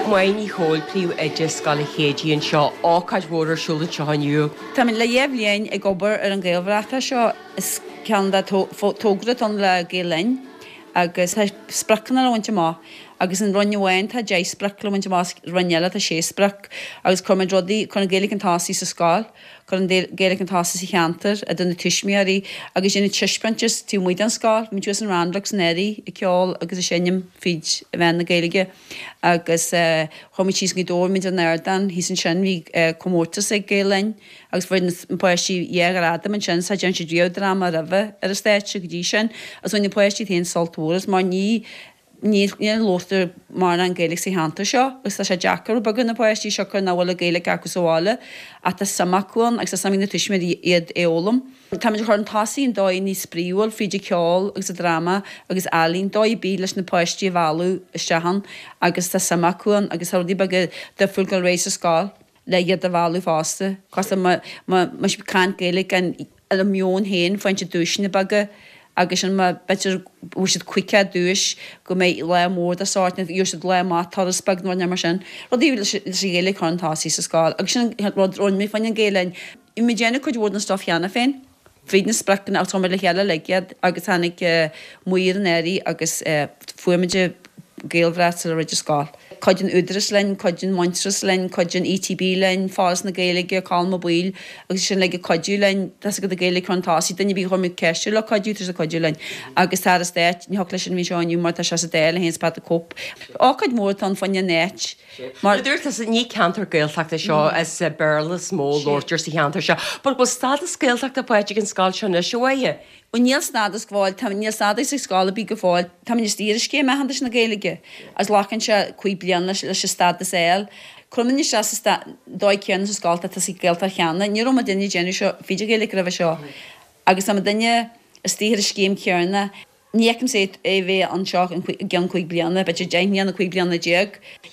Máire Ní Chomhaill, Príomh-Oide Scoil Chéididh anseo. Ócáid mhór ar siúl anseo inniu. Táimid le dheich bhliain ag obair ar an Ghaelbhratach seo. Is ceann de togra atá ann le Gael Linn agus tá spriocanna le bhaint amach agus in roinn amháin tá 10 sprioc le bhaint amach agus roinn eile tá 6 sprioc agus cuirimid rudaí, cur an Ghaeilge chun tosaigh sa scoil, cur an Ghaeilge chun tosaigh sa cheantar, idir na tuismitheoirí agus déanamh taispeántas taobh amuigh den scoil. Bhí muid thuas in Randlocks anuraidh ag ceol agus ag seinm fríd mheán na Gaeilge. Agus chuaigh muid síos go Gaoth Dobhair, muid ar an ardán thíos ansin, bhí comórtas ag Gael Linn agus fuair na páistí dhá ghradam ansin, cha dtearn siad riamh dráma roimhe ar an stáitse go dtí sin agus bhain na páistí féin sult mhór as mar ní ní ní labhartar mórán Gaeilge sa cheantar seo agus tá sé deacair rud beag ar na páistí siocair nach bhfuil an Ghaeilge acu sa bhaile ach tá suim acu ann agus tá suim ag na tuismitheoirí iad a fhoghlaim. Táimid ag cur chun tosaigh i ndóigh níos spraíúil fríd an cheol agus an dráma agus ealaín, dóigh ar bith leis na páistí a mhealladh isteach ann agus tá suim acu ann agus tá rudaí beaga difriúil ag dul ar aghaidh sa scoil le iad a mhealladh fosta. Cosúil má má siad ag caint Gaeilge gan ar a meon féin faigheann siad duaiseanna beaga agus sin má b'fhéidir bhfuair siad caoga duais go mbeidh lá mór de sórt nó gheobhaidh siad lá maith turas beag nó rud mar sin. Rudaí leis an Ghaeilge a chur chun tosaigh sa scoil agus sin an rud a rinne mé fá choinne Gael Linn. Bhí muid ag déanamh cuid mhór den stuif cheana féin, fríd na spriocanna ach chuir muid le chéile uilig iad agus tháinig maor an Aire agus fuair muid Gaelbhrat le roinnt scoil. Cuid den Údarás linn, cuid den Muintearas linn, cuid den ETB linn, Foras na Gaeilge, Colm Ó Baoill agus sin uilig ag cuidiú linn. Tá's agat an Ghaeilge chun tosaigh, duine ar bith a chuir muid ceist air le cuidiú, tá sé ag cuidiú linn. Agus tá Aire Stáit, ní thiocfadh leis sin a bheith anseo inniu mar tá sé sa Dáil é féin is Pat the Cope. Ócáid mhór atá ann fá choinne an áit. Mar a dúirt tusa, ní ceantar Gaeltachta é seo, is Béarla is mó a labhartar sa cheantar seo. But bhfuil stádas Gaeltachta faighte ag an scoil seo anois, a Mháire? Bhuel, níl stádas go fóill, tá, níl stádas ag scoil ar bith go fóill. Táimid istigh ar an scéim aitheantais na Gaeilge agus glacann sé 5 bliana leis an stádas a fháil. Cuirimid isteach sa dóigh céanna sa scoil atá sa Ghaeltacht cheana. Ní raibh muidinne ag déanamh seo fríd an Ghaeilge roimhe seo agus tá muidinne istigh ar an scéim chéanna. Ní fheicimse é a bheith anseo i gceann 5 bliana, b'fhéidir 10 mbliana, 15 bliana.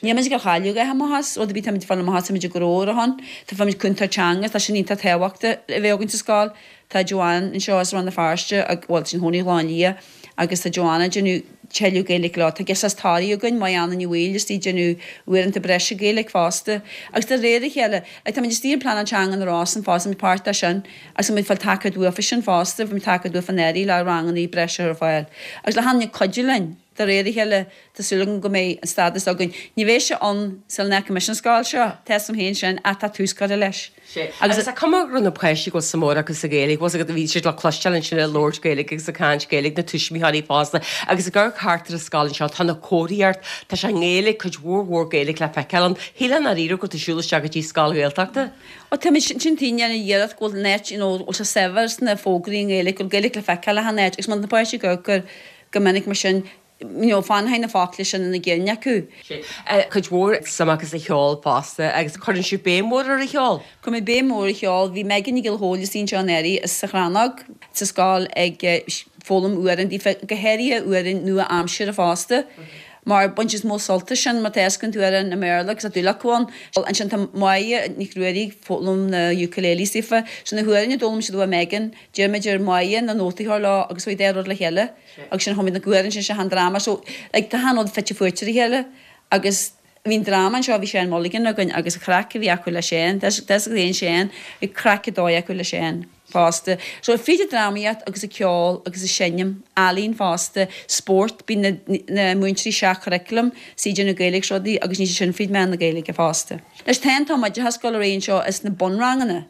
Níl muid ag cailleadh a dhath amach as, rud ar bith, táimid ag fáil amach as, táimid ag gnó ar a shon. Tá fuair muid cúntóir teanga, tá sin iontach tábhachtach a bheith againn sa scoil. Tá Joanne anseo as Rann na Feirste, bhuel, tá sí ina cónaí i Ghleann Liath, agus tá Joanne ag déanamh tuilleadh Gaeilge leo. Tá girseach as Toraigh againn, Maigh Anna Ní Bhaoill, istigh ag déanamh uaireanta breise Gaeilge fosta. Agus de réir a chéile, like, táimid istigh ar Pleanáil Teanga na Rosann fosta, táimid páirteach sin. Agus tá muid ag fáil tacaíocht uafa sin fosta, bhí muid tacaíocht uafa anuraidh le ranganna breise a chur ar fáil. Agus le haon duine cuidiú linn, de réir a chéile, tá súil agam go mbeidh an stádas againn. Ní bheidh sé ann sula n-fhágfaidh mise an scoil seo, tá 'fhios a'm féin sin, ach tá tús curtha leis. Sea. Agus is cuma go raibh na páistí go bhfuil suim mhór acu sa Ghaeilge, bhfuil 's agat, bhí siad le cloisteáil ansin ag labhairt Gaeilge agus ag caint Gaeilge, na tuismitheoirí fosta. Agus ag amharc thart ar an scoil anseo, tá na comharthaíocht, tá sé i nGaeilge, cuid mhór mhór Gaeilge le feiceáil ann. Shílfeá i ndáiríre go raibh tú ag siúl isteach go dtí scoil Ghaeltachta. Ó tá muid sin tinn ar an iarracht go bhfuil an áit you know bhfuil sé saibhir sna fógraí i nGaeilge, go bhfuil Gaeilge le feiceáil achan áit agus má tá na páistí ag amharc air go minic mar sin you know fanfaidh na focla sin ina gcinn acu. Cuid mhór suim acu sa cheol fosta agus cuireann sibh béim mhór ar an cheol. Cuirimid béim mhór ar an cheol. Bhí Megan Nic Giolla Chóill istigh anseo anuraidh as sa Chrannóg sa scoil ag foghlaim amhráin daofa, go háirithe amhráin nua-aimseartha fosta. Mar baineann siad mó sult as sin má tá tú amhrán i mBéarla agus tá dúil acu ann. Ansin tá Máire Nic Ruairí ag foghlaim na ukulele saofa. So na hamhráin a d'fhoghlaim siad ó Megan, d'iarr muid ar Mháire na nótaí a chur leo agus chuaigh dá rud le chéile agus sin chum muid na hamhráin sin sé an dráma. So like tá achan rud fite fuaite ar a chéile agus bhí an dráma anseo bhí Seán Mulligan againn agus an chraic a bhí acu le Seán, tá a fhios agat Seán, bhí craic ar dóigh acu le Seán. fosta. So fríd an drámaíocht agus an ceol agus an seinm, ealaín fosta, spórt, bíonn na múinteoirí seach-churaclam, is iad déanamh Gaeilge is rudaí agus níl sé sin fríd mheán na Gaeilge fosta. Anois tá an t-am oideachas ag dul ar aghaidh anseo is na bunranganna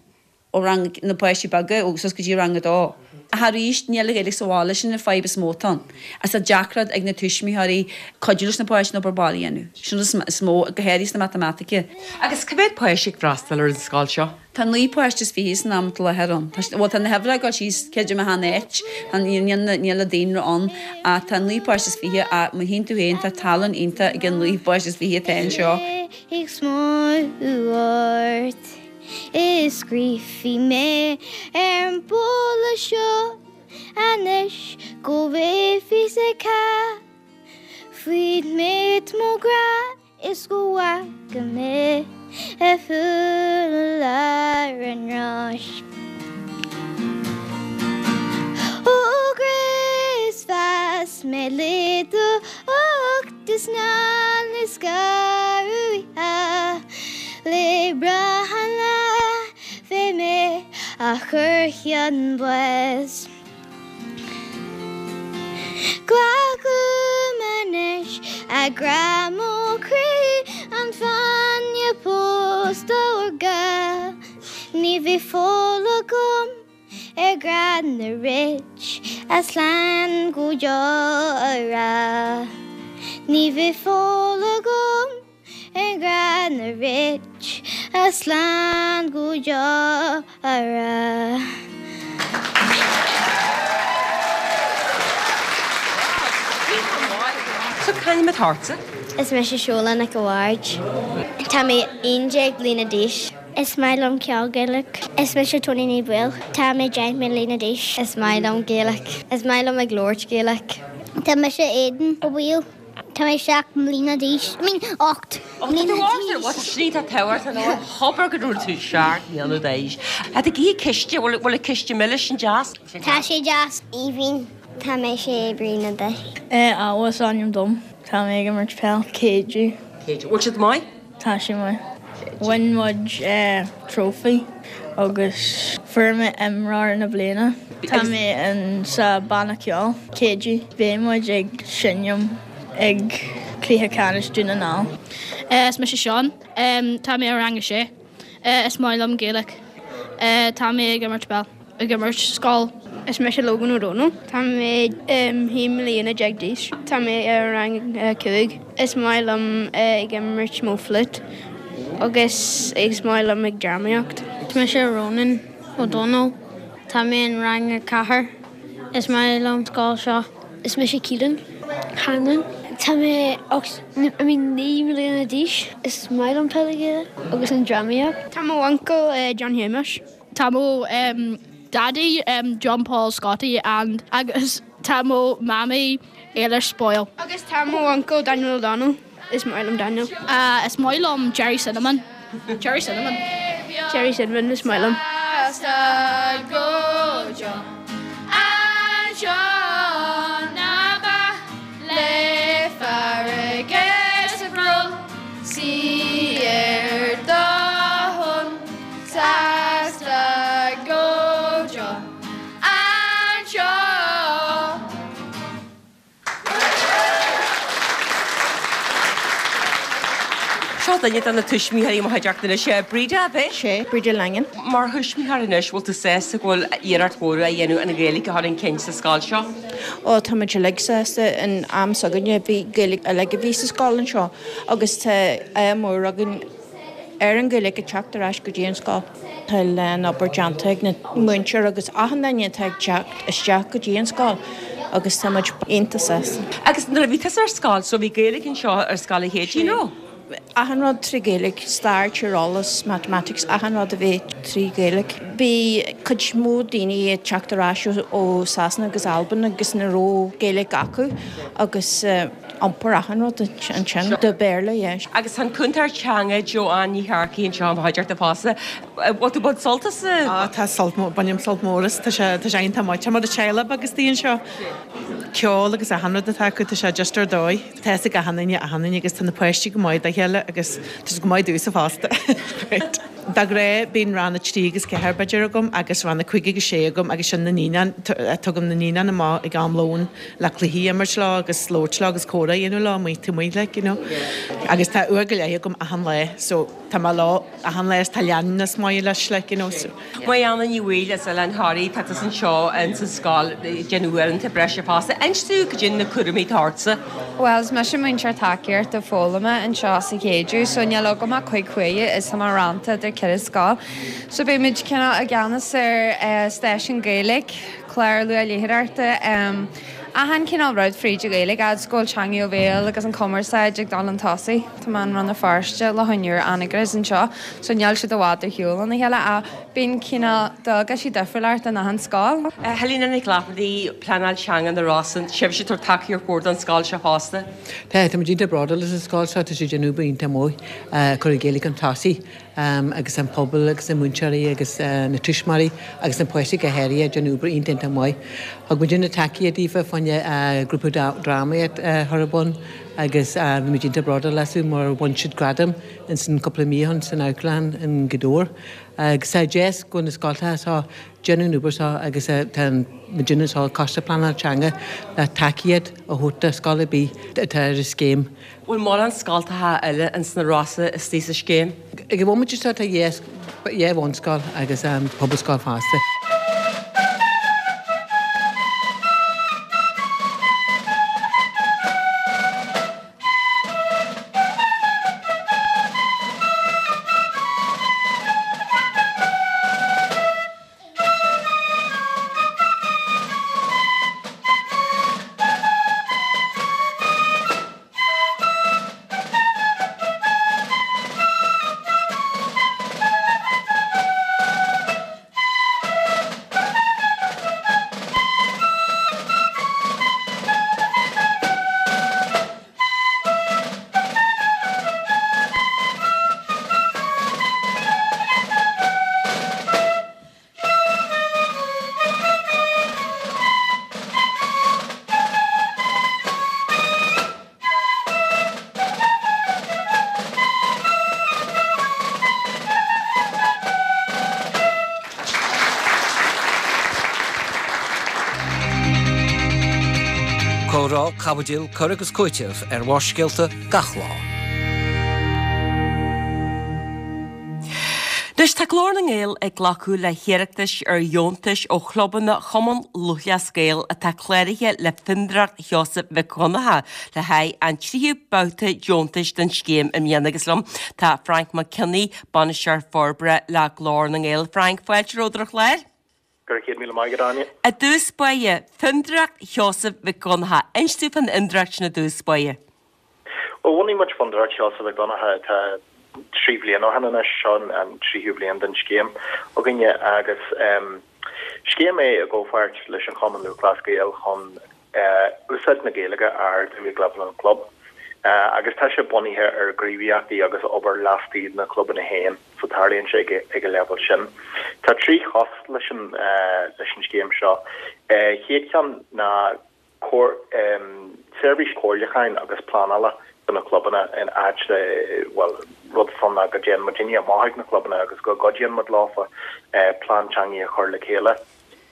ó rang na páistí beaga ó suas go dtí rang a dó. Ach arís níl an Ghaeilge sa bhaile, sin an fadhb is mó atá ann. Agus tá deacracht ag na tuismitheoirí cuidiú leis na páistí an obair baile a dhéanamh. Sin an is mó, go háirithe sna matamaitice. Agus cá mhéad páiste ag freastal ar an scoil seo? Tá 9 páiste is 20 san am atá i láthair ann. Tá, bhuel tá na huimhreacha ag dul síos, creidim achan áit, tá, níl, níl an daonra ann ach tá 9 páiste is 20 ach má tchíonn tú féin tá tallann iontach ag an 9 páiste is 20 atá anseo. Ag smaoineamh ort is scríobfaidh mé ar an bpála seo anois go bhfuil fios ag cách faoin méid mo ghrá. Is go bhfaca mé a shúil ar an ráis. Ó ghríosfas mé le do ucht is ná le scaradh oíche le brath an lá fé mé a chur chun báis. Glac uaim anois, a ghrá mo chroí, an fáinne pósta órga. Ní bheidh fáil agam ar ghrá na rit a slán go deo a rá. Ní bheidh fáil agam. Ar ghrá na rit a slán go deo a rá. So c'ainm atá ortsa? Is mise Seola Nic a' Bhaird. Tá mé 11 bliana d'aois. Is maith liom ceol Gaelach. Is mise Tony Ní Bhaoill. Tá mé 10 mbliana d'aois. Is maith liom Gaeilge. Is maith liom ag labhairt Gaeilge. Tá mise Aidan Ó Baoill. Tá mé 7 mbliana d'aois, I mean 8 mbliana d'aois. Slí tá tabhairt an óir thobar go raibh tú 7 mbliana d'aois. Tá tú ag ithe císte, bhfuil bhfuil an císte milis an deas? Tá sé deas. Aoibhinn. Tá mé 6 bliana d'aois. Awa is ainm dom. Tá mé ag imirt peil. Céidiú. Céidiú. Bhfuil siad maith? Tá sé maith. Bhain muid trophy agus fuair mé imreoir na bliana. Tá mé in sa banna ceoil, Céidiú. Beidh muid ag seinm ag Cluiche Ceannais Dún na nGall. Is mise Seán. Tá mé i rang a sé. Is maith liom Gaeilge. Tá mé ag imirt peil. Ag imirt scoil. Is mise Logan Ó Dónaill. Tá mé 11 mbliana d'aois. Tá mé i rang 5. Is maith liom ag imirt mo flute agus is maith liom ag drámaíocht. Is mise Ronan Ó Dónaill. Tá mé in rang 4. Is maith liom scoil seo. Is mise Keelan Hanlon. Tá mé 8, I mean 9 mbliana d'aois. Is maith liom peil Gaelach agus an drámaíocht. Tá mo uncail John Shéamuis. Tá mo daidí John Paul Scotty and agus tá mo mamaí Éilis Boyle. Agus tá mo uncail Daniel O'Donnell. Is maith liom Daniel. Is maith liom Gerry Cinnamon. Gerry Cinnamon. Gerry Cinnamon is maith liom. Seasta go deo anseo. Seo duine de na tuismitheoirí i mo chuideachta anois, Breda, ab é? Sé, Breda Langan. Mar thuismitheoir anois, bhfuil tú sásta go bhfuil iarracht mhór á dhéanamh an Ghaeilge a chur chun cinn sa scoil seo? Ó, tá muid uilig sásta. In am s'againne bhí Gaeilge uilig a bhí sa scoil anseo agus tá ádh mór againn ar an Ghaeilge ag teacht ar ais go dtí an scoil. Tá a lán obair déanta ag na múinteoirí agus achan duine atá ag teacht isteach go dtí an scoil agus tá muid iontach sásta. Agus nuair a bhí tusa ar scoil, so bhí Gaeilge anseo ar Scoil Uí Chéide, nó? Achan rud trí Ghaeilge, stair, tíreolas, mathematics, achan rud a bhí trí Ghaeilge. Bhí cuid mhór daoine ag teacht ar ais ó Sasana agus Albain agus ní raibh Gaeilge acu agus. iompar achan rud ansin. De Béarla, yeah. Agus tá an cúntóir teanga Joanne Ní Shearcaigh anseo i mo chuideachta fosta. Bhfuil tú ag baint sult as? Á tá sult mór, bainim sult mór as, tá sé, tá sé iontach maith. Tá mar teaghlach beag istigh anseo. Ceol agus achan rud atá acu, tá sé just ar dóigh. Tá fhios ag achan duine achan duine agus tá na páistí go maith dá chéile agus tá siad go maith domhsa fosta. Great. De ghnáth bíonn rang 3 agus 4 b'fhéidir agam agus rang 5 agus 6 agam agus sin na naíonáin, tugaim na naíonáin amach ag am lóin le cluichí a imirt leo agus labhairt leo agus comhrá a dhéanamh leo amuigh taobh amuigh like you know. Agus tá uair go leith agam achan lá so tá mé leo achan lá is tá leanúnas maith leis like you know so. Marianna Ní Bhaoill as Oileán Thoraí, tá tusa anseo ins an scoil ag déanamh uaireanta breise fosta. Inis dúinn cad é na cúraimí atá ortsa. Bhuel, is mise múinteoir tacaíochta foghlama anseo sa Chéideadh, so níl agam ach cuig huaire is tá mé rannta idir ceithre scoil. So beidh muid cineál i gceannas ar stáisiún Gaeilge, clár luathléitheoireachta, achan cineál rud fríd an Ghaeilge, fhad is go bhfuil teanga ó bhéal agus an cumarsáid ag dul chun tosaigh. Tá mé in Rann na Feirste le hionúr Anagaire anseo, so níl siad i bhfad ar shiúl óna chéile ach bíonn cineál dualgaisí difriúil ort in achan scoil. Helena Nic Laifeartaigh, Pleanáil Teanga na Rosann, sibhse ag tabhairt tacaíocht mhór don scoil seo fosta. Tá, tá muid iontach bródúil as an scoil seo, tá siad ag déanamh obair iontach maith ag cur an Ghaeilge chun tosaigh agus an pobal agus na múinteoirí agus na tuismitheoirí agus na páistí go háirithe ag déanamh obair iontach iontach maith. Thug muidinne tacaíocht daofa fá choinne grúpa drámaíocht a chur ar bun agus bhí muid iontach bródúil astu mar bhain siad gradam ins an cúpla mí ó shin san amharclann in Gaoth Dobhair. Agus tá deas go bhfuil na scoltacha seo déanamh an obair seo agus tá muidinne anseo, Coiste Pleanála Teanga, le tacaíocht a thabhairt do scoil ar bith atá ar an scéim. Bhfuil mórán scoltacha eile ins na Rosa istigh sa scéim? Ag an bhomaite seo tá dhá bhunscoil agus pobalscoil fosta. Comhrá, caibidil, cur agus cúiteamh ar Bharrscéalta gach lá. Anois tá Glór na nGael ag glacadh le hiarratais ar dheontais ó chlubanna Chumann Lúthchleas Gael atá cláraithe le Fondúireacht Sheosaimh Mhic Dhonncha le haghaidh an tríú babhta deontais den scéim i mbliana agus liom tá Frank Mac Cionnaith, Bainisteoir Forbartha le Glór na nGael. Frank, fáilte romhat ar an chlár. Go raibh 100,000 maith agat, Áine. I dtús báire, Fondúireacht Sheosaimh Mhic Dhonncha. Inis dúinn fán fhondúireacht sin i dtús báire. Bhuel, bhunaigh muid Fondúireacht Sheosaimh Mhic Dhonncha tá 3 bhliain ó shin anois, seo an tríú bliain den scéim againne agus scéim é i gcomhpháirt leis an Chumann Lúthchleas Gael chun úsáid na Gaeilge a ardú ag leibhéal an chlub agus tá sé bunaithe ar ghníomhaíochtaí agus obair laistigh de na clubanna féin so tarlaíonn sé ag an leibhéal sin. Tá trí chos leis an leis an scéim seo. Chéad cheann ná seirbhís comhairliúcháin agus pleanála do na clubanna in áit le, bhuel, rud atá ann ná go dtéann muidinne amach ag na clubanna agus go gcuidíonn muid leofa plean teanga a chur le chéile.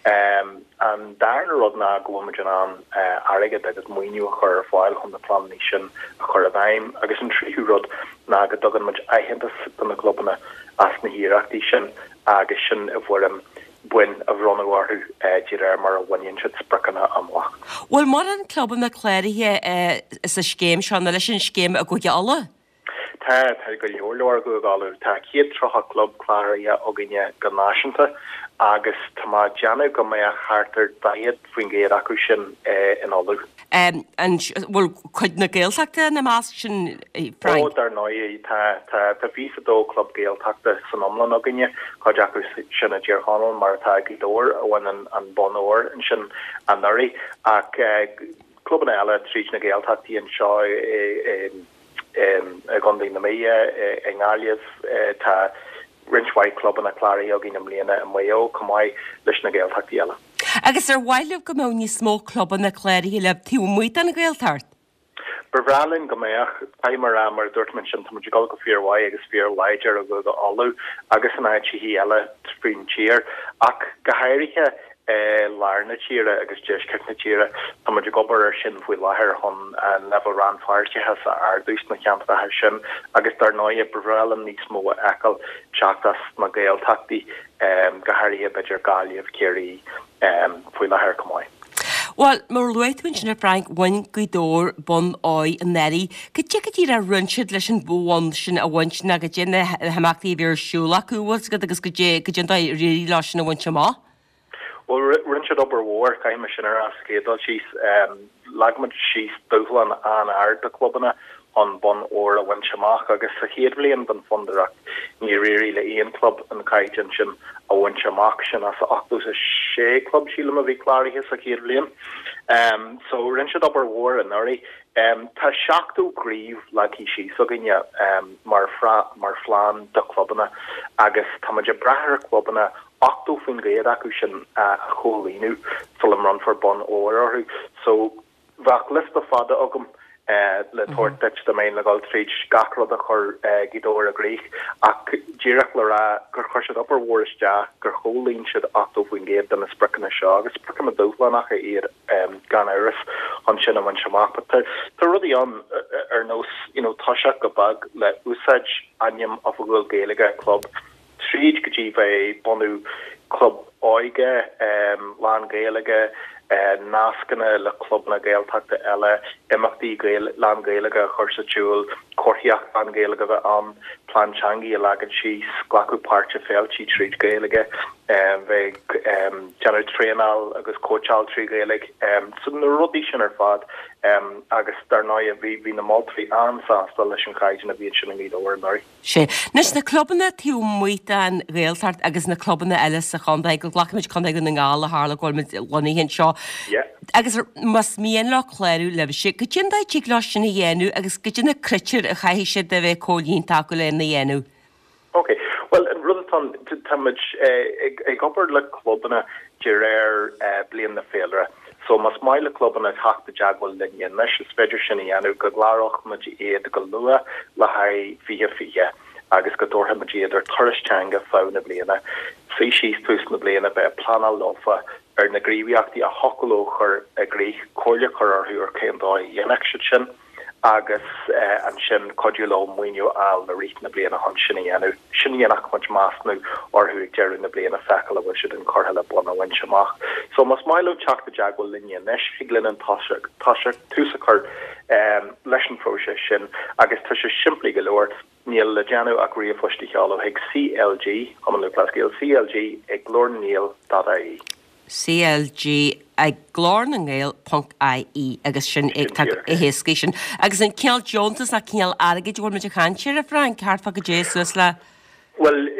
An darna rud ná go bhfuil muid in ann airgead agus maoiniú a chur ar fáil chun na pleananna sin a chur i bhfeidhm. Agus an tríú rud ná go dtugann muid aitheantas do na clubanna as na hiarrachtaí sin agus sin i bhfoirm boinn a bhronnadh orthu de réir mar a bhaineann siad spriocanna amach. Bhfuil mórán clubanna cláraithe sa scéim seo nó leis an scéim i gCúige Uladh? Tá, tá go leor leor i gCúige Uladh. Tá 130 club cláraithe againne go náisiúnta agus tá mé ag déanamh go mbeadh thart ar 40% acu sin in Ulaidh. An bhfuil cuid na Gaeltachta ina measc sin, Frank? Ó, dar ndóigh, tá. Tá, tá 22 club Gaeltachta san iomlán againne, cuid acu sin i dTír Chonaill, mar atá Gaoth Dobhair, a bhain an bonn óir ansin anuraidh, ach. clubanna eile tríd na Gaeltachtaí anseo i gContae na Mí, i nGaillimh. Tá roinnt mhaith clubanna cláraithe againn i mbliana i Maigh Eo chomh maith leis na Gaeltachtaí eile. Agus ar mhaith libh go mbeadh níos mó clubanna cláraithe libh taobh amuigh den Ghaeltacht? Ba bhreá linn go mbeadh. Caithfidh mé a rá, mar a dúirt mé ansin, tá muid ag dul go fíormhaith agus fíorláidir i gCúige Uladh agus in áiteachaí eile faoin tír, ach go háirithe i lár na tíre agus deisceart na tíre. Tá muid ag obair air sin faoi láthair chun an leibhéal rannpháirteachais a ardú sna ceantracha sin agus dar ndóighe ba bhreá linn níos mó a fheiceáil teacht as na Gaeltachtaí, go háirithe b'fhéidir Gaillimh, Ciarraí faoi láthair chomh maith. Bhuel, mar a luaigh tú ansin a Frank, bhain Gaoth Dobhair bonn óir anuraidh. Cad é go díreach a rinne siad leis an bhonn sin a bhaint nó cad é na himeachtaí a bhí ar siúl acu, bhfuil 's agat, agus cad é cad é an dóigh ar éirigh leo sin a bhaint amach? Bhuel, rinne siad obair mhór, caithfidh mé sin a rá sa chéad dul síos. Leag muid síos dúshlán an-ard do chlubanna chun bonn óir a bhaint amach agus sa chéad bhliain den Fondúireacht níor éirigh le aon chlub an caighdeán sin a bhaint amach, sin as 86 club, sílim, a bhí cláraithe sa chéad bhliain. So, rinne siad obair mhór anuraidh. Tá 70 gníomh leagtha síos againne mar mar phlean do chlubanna agus tá muid ag brath ar chlubanna 80% acu sin a chomhlíonadh sula mbronnfar bonn óir orthu. So, bheadh liosta fada agam le tabhairt duit dá mbeinn le dhul tríd gach rud a chuir Gaoth Dobhair i gcrích ach díreach le rá gur chuir siad obair mhór isteach, gur chomhlíon siad 80% de na spriocanna seo agus spriocanna dúshlánacha iad gan amhras chun sin a bhaint amach. But tá tá rudaí ann ar nós you know toiseacht go beag le úsáid ainm oifigiúil Gaeilge club tríd go dtí bheith bunú club óige lán-Ghaeilge, nascanna le clubanna Gaeltachta eile, imeachtaí lán-Ghaeilge a chur sa tsiúl, comharthaíocht lán-Ghaeilge a bheith ann, plean teangaí a leagan síos, glacadh páirt i féiltí tríd Ghaeilge, bheith ag déanamh traenáil agus cóitseáil trí Ghaeilge. So na rudaí sin ar fad agus dar ndóigh bhí na moltóirí an-sásta leis an chaighdeán a bhí ansin i nGaoth Dobhair anuraidh. Sea. Anois, na clubanna taobh amuigh den Ghaeltacht agus na clubanna eile sa chontae, go nglacfaimid Contae Dhún na nGall ó tharla go bhfuil muid lonnaithe anseo, agus más mian leo clárú libhse, cad é an dóigh a dtig leo sin a dhéanamh agus cad é na critéir a chaithfidh siad a bheith comhlíonta acu lena dhéanamh? Ok. Bhuel, an rud atá ann, tá muid ag obair le clubanna de réir bliain na féilire. So más maith le clubanna teacht i dteagmháil linn anois, is féidir sin a dhéanamh, go gcláródh muid iad go luath le haghaidh 2020 agus go dtabharfaidh muid iad ar turas teanga feadh na bliana. Suí síos tús na bliana, bheith ag pleanáil leofa ar na gníomhaíochtaí a thiocfadh leo chur i gcrích, comhairle a chur orthu ar cén dóigh a dhéanfadh siad sin. agus ansin cuidiú leo maoiniú a fháil i rith na bliana chun sin a dhéanamh. Sin a dhéanfadh muid measúnú orthu ag deireadh na bliana feiceáil an bhfuil siad inchurtha le bonn a bhaint amach. So más maith leo teacht i dteagmháil linne anois, thig linn an toiseacht, tús a chur leis an phróiseas sin agus tá sé simplí go leor, níl le déanamh ach ríomhphost a sheoladh chuig CLG, Cumann Lúthchleas Gael, CLG ag glórnangael dot ie. CLG ag glórnangael ponc ie agus sin é tá chomh héasca sin. Agus an cineál deontas ná cineál airgid a bhfuil muid ag caint air, a Frank, thart fá goidé suas le. Bhuel,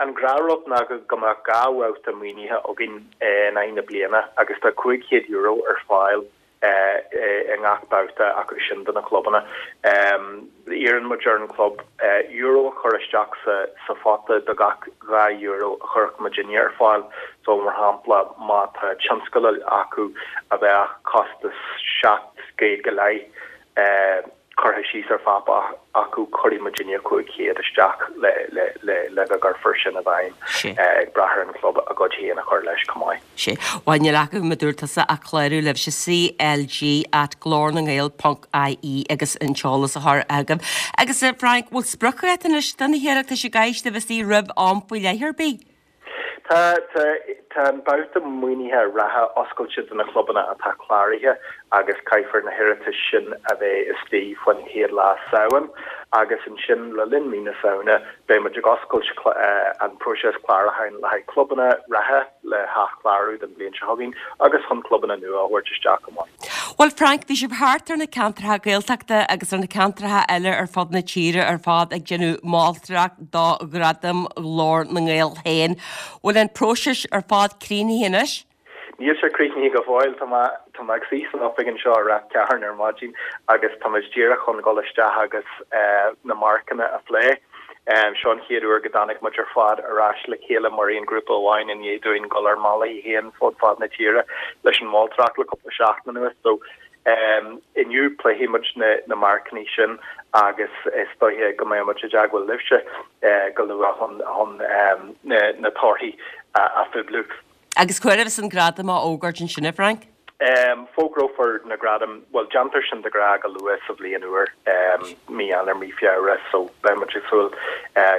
an gnáthrud ná go mbeadh 2 bhabhta maoinithe againn in aghaidh na bliana agus tá €500 ar fáil i ngach babhta acu sin do na clubanna. Iarrann muid ar an gclub euro a chur isteach sa phota do gach €2 a chuirfeadh muidinne ar fáil. So, mar shampla, má tá tionscadal acu a bheadh costas 700 go leith, curtha síos ar pháipéar acu, cuirfidh muidinne 500 isteach le go gcuirfear sin i bhfeidhm, ag brath ar an chlub a gcuid féin a chur leis chomh maith. Sea. Bhuel, níl acu, mar a dúirt tusa, ach clárú libhse, CLG at glórnangael ponc ie agus an t-eolas a chur agaibh. Agus a Frank, bhfuil spriocdháta anois do na hiarratais an gcaithfidh siad a bheith istigh roimh am faoi leith ar bith? Tá, tá, tá an babhta maoinithe reatha oscailte do na clubanna atá cláraithe agus caithfear na hiarratais sin a bheith istigh faoin chéad lá Samhain agus ansin le linn mí na Samhna beidh muid ag oscailt an próiseas clárúcháin le haghaidh clubanna reatha le hathchlárú don bhliain seo chugainn agus chun clubanna nua a thabhairt isteach chomh maith. Bhuel Frank, bhí sibh thart ar na ceantracha Gaeltachta agus ar na ceantracha eile ar fud na tíre ar fad ag déanamh moltóireacht do Ghradam Ghlór na nGael féin. Bhfuil an próiseas ar fad críochnaithe anois? Níl sé críochnaithe go fóill. Tá mé, tá mé ag suí san oifig anseo ar a ceathair ar maidin agus tá muid díreach chun dhul isteach agus na marcanna a phlé. Seo an chéad uair go dtáinig muid ar fad ar ais le chéile mar aon ghrúpa amháin i ndiaidh dúinn dul ár mbealaí féin fud fad na tíre leis an moltóireacht le cúpla seachtain anuas. So, inniu pléifidh muid na marcanna sin agus is dóiche go mbeidh muid i dteagmháil libhse go luath chun na torthaí a phoibliú. Agus cá huair a bheas an gradam á fhógairt ansin, a Frank? Fógrófar na gradaim, bhuel, déantar sin de ghnáth go luath sa bhliain úr, mí Eanáir, mí Feabhra, so beidh muid ag súil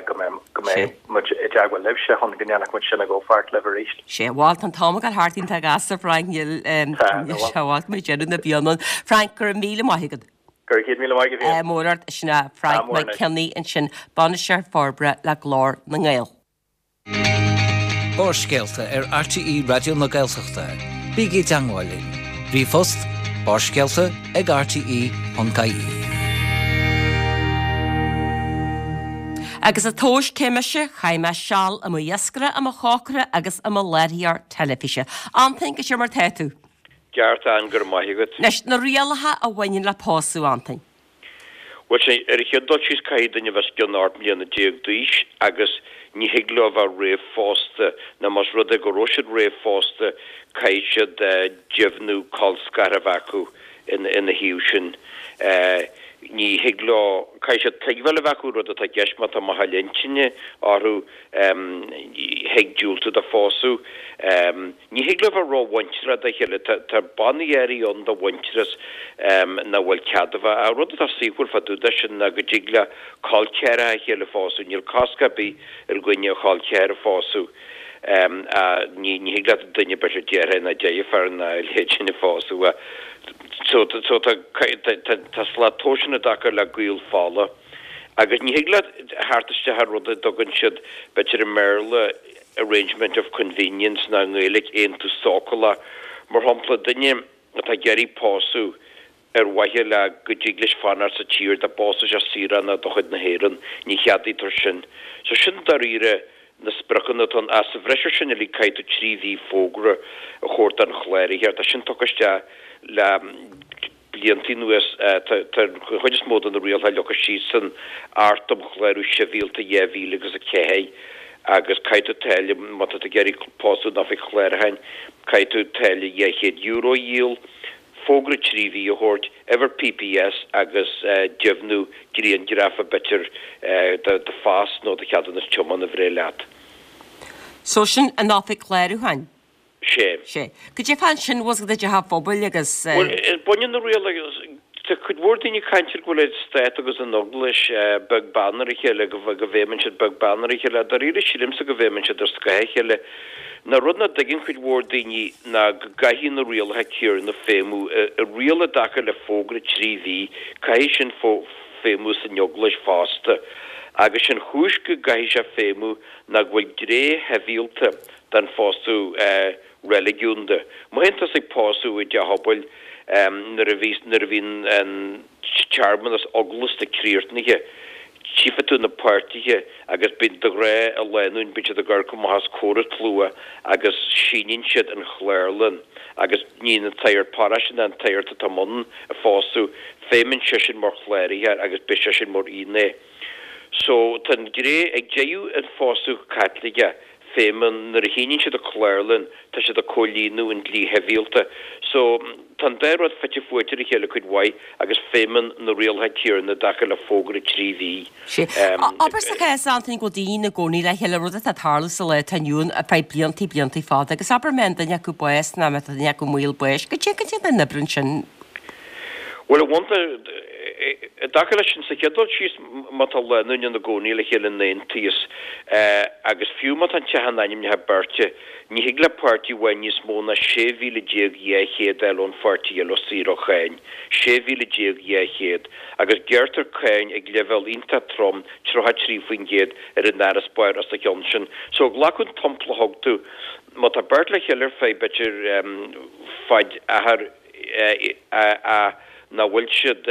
go mbeidh, go mbeidh muid i dteagmháil libhse chun go ndéanfadh muid sin i gcomhpháirt libh arís. Sea, bhuel, tá an t-am ag dul thart iontach gasta, Frank, níl, Tá, níl sé i bhfad go mbeidh deireadh na bliana ann. Frank, go raibh míle maith agat. Go raibh 100,000 maith agat féin. Ádh mór ort, sin é Frank Ádh mór Mac anois. Cionnaith ansin, Bainisteoir Forbartha le Glór na nGael. Barrscéalta ar RTÉ Raidió na Gaeltachta. Bígí i dteangmháil linn. Ríomhphost, barrscéalta ag rte.ie. Agus ag tomhas cé mise, chaith mé seal i mo iascaire, i mo chócaire agus i mo láithreoir teilifíse. Antain, goidé mar tá tú? Ceart, Ann, go raibh maith agat. Anois, na rialacha a bhaineann le pósadh, Antain. Bhuel, sea, ar an chéad dul síos caithfidh duine a bheith os cionn 18 mbliana d'aois agus ní thig leo a bheith réamhphósta, nó más rud é go raibh siad réamhphósta, caithfidh siad deimhniú colscartha a bheith acu ina thaobh sin. Ní thig leo, caithfidh siad tuigbheáil a bheith acu rud atá i gceist má tá machaille intinne orthu, thig diúltú do phósadh. Ní thig leo bheith rómhuinteartha dá chéile. Tá bannaí áirithe ann do mhuintearas nach bhfuil cead a bheith. Ach rud atá saoithiúil fá dtaobh de sin ná go dtig le col ceathracha a chéile phósadh. Níl cosc ar bith ar dhuine a chol ceathar a phósadh. Ní thig leat duine b'fhéidir deartháir ná deirfiúr ná a leithéid sin a phósadh. So tá slat tomhais ann i dtaca le gaol fola. Agus ní thig leat theacht isteach ar rud a dtugann siad, b'fhéidir i mBéarla, arrangement of convenience nó i nGaeilge aontú sócúlach. Mar shampla, duine atá ag iarraidh pósadh ar mhaithe le go dtig leis fanacht sa tír dá bpósfadh sé saoránach de chuid na hÉireann, ní cheadaítear sin. So sin dáiríre na spriocanna atá ann. Ach sa bhreis ar sin uilig caithfidh tú 3 mhí fógra a thabhairt don chláraitheoir. Tá sin tugtha isteach le. blianta anuas. Tá an chuid is mó de na rialacha leagtha síos san Acht um Chlárú Sibhialta 2004 agus caithfidh tú táille, má tá tú ag iarraidh pósadh in oifig chlárúcháin, caithfidh tú táille €200 a dhíol, fógra 3 mhí a thabhairt, uimhir PPS agus deimhniú grianghrafa b'fhéidir de do phas nó do cheadúnas tiomána a bhreith leat. So sin an oifig chlárúcháin? Sé. Sé. Goidé fá ansin bhfuil i dteach an phobail agus. Bhuel, baineann na rialacha, tá cuid mhór daoine ag caint ar go bhfuil an Stát agus an Eaglais beag beann ar a chéile, go bhfeidhmeann siad beag beann ar a chéile. Dáiríre sílimse go bhfeidhmeann siad ar scáth a chéile. Ná rud nach dtuigeann cuid mhór daoine ná go gcaithfidh na rialacha céanna feidhmiú. An riail i dtaca le fógra 3 mhí, caithfidh sin feidhmiú san Eaglais fosta. Agus sin chúis go gcaithfidh sé feidhmiú ná go bhfuil gné shibhialta den phósadh reiligiúnda. Má théann tusa ag pósadh i dteach pobail nuair a bhí nuair a bhíonn an searmanas eaglasta críochnaithe, tchífidh tú na páirtithe agus bíonn de ghnáth an lánúin, bíonn siad ag amharc amach os comhair an tslua agus síníonn siad an chlárlann agus ní an tsagart paróiste ná an tsagart atá i mbun an phósadh, feidhmeann seisean mar chláraitheoir agus beidh seisean mar fhinné. So tá an ghné ag deireadh an phósadh Caitliceach, feidhmeann, nuair a shíníonn siad an chlárlann, tá siad ag comhlíonadh an dlí shibhialta. So, tá an dá rud fite fuaite ar a chéile cuid mhaith agus feidhmeann na rialacha céanna i dtaca le fógra 3 mhí. Sea. Abair sa chás, Antaine, go bhfuil daoine ina gcónaí le chéile, rud atá ag tarlú sa lá atá inniu ann ar feadh bliantaí, bliantaí fada, agus abair má tá duine acu bás nó má tá duine acu i mbaol báis, goidé, goidé an oibrionn sin? Bhuel, a bhunta, i dtaca leis sin, sa chéad dul síos, má tá lánúin ina gcónaí le chéile in aontíos, agus fiú má tá an teach in ainmneacha beirte, ní thig le páirtí amháin níos mó ná 16,200 a fháil ón pháirtí eile saor ó cháin. 16,200. Agus gearrtar cáin ag leibhéal iontach trom, 33% ar an fharasbarr os a chionn sin. So, glacadh an t-iompla a thug tú, má tá beirt le chéile ar feadh, b'fhéidir, faid achar, ach nach bhfuil siad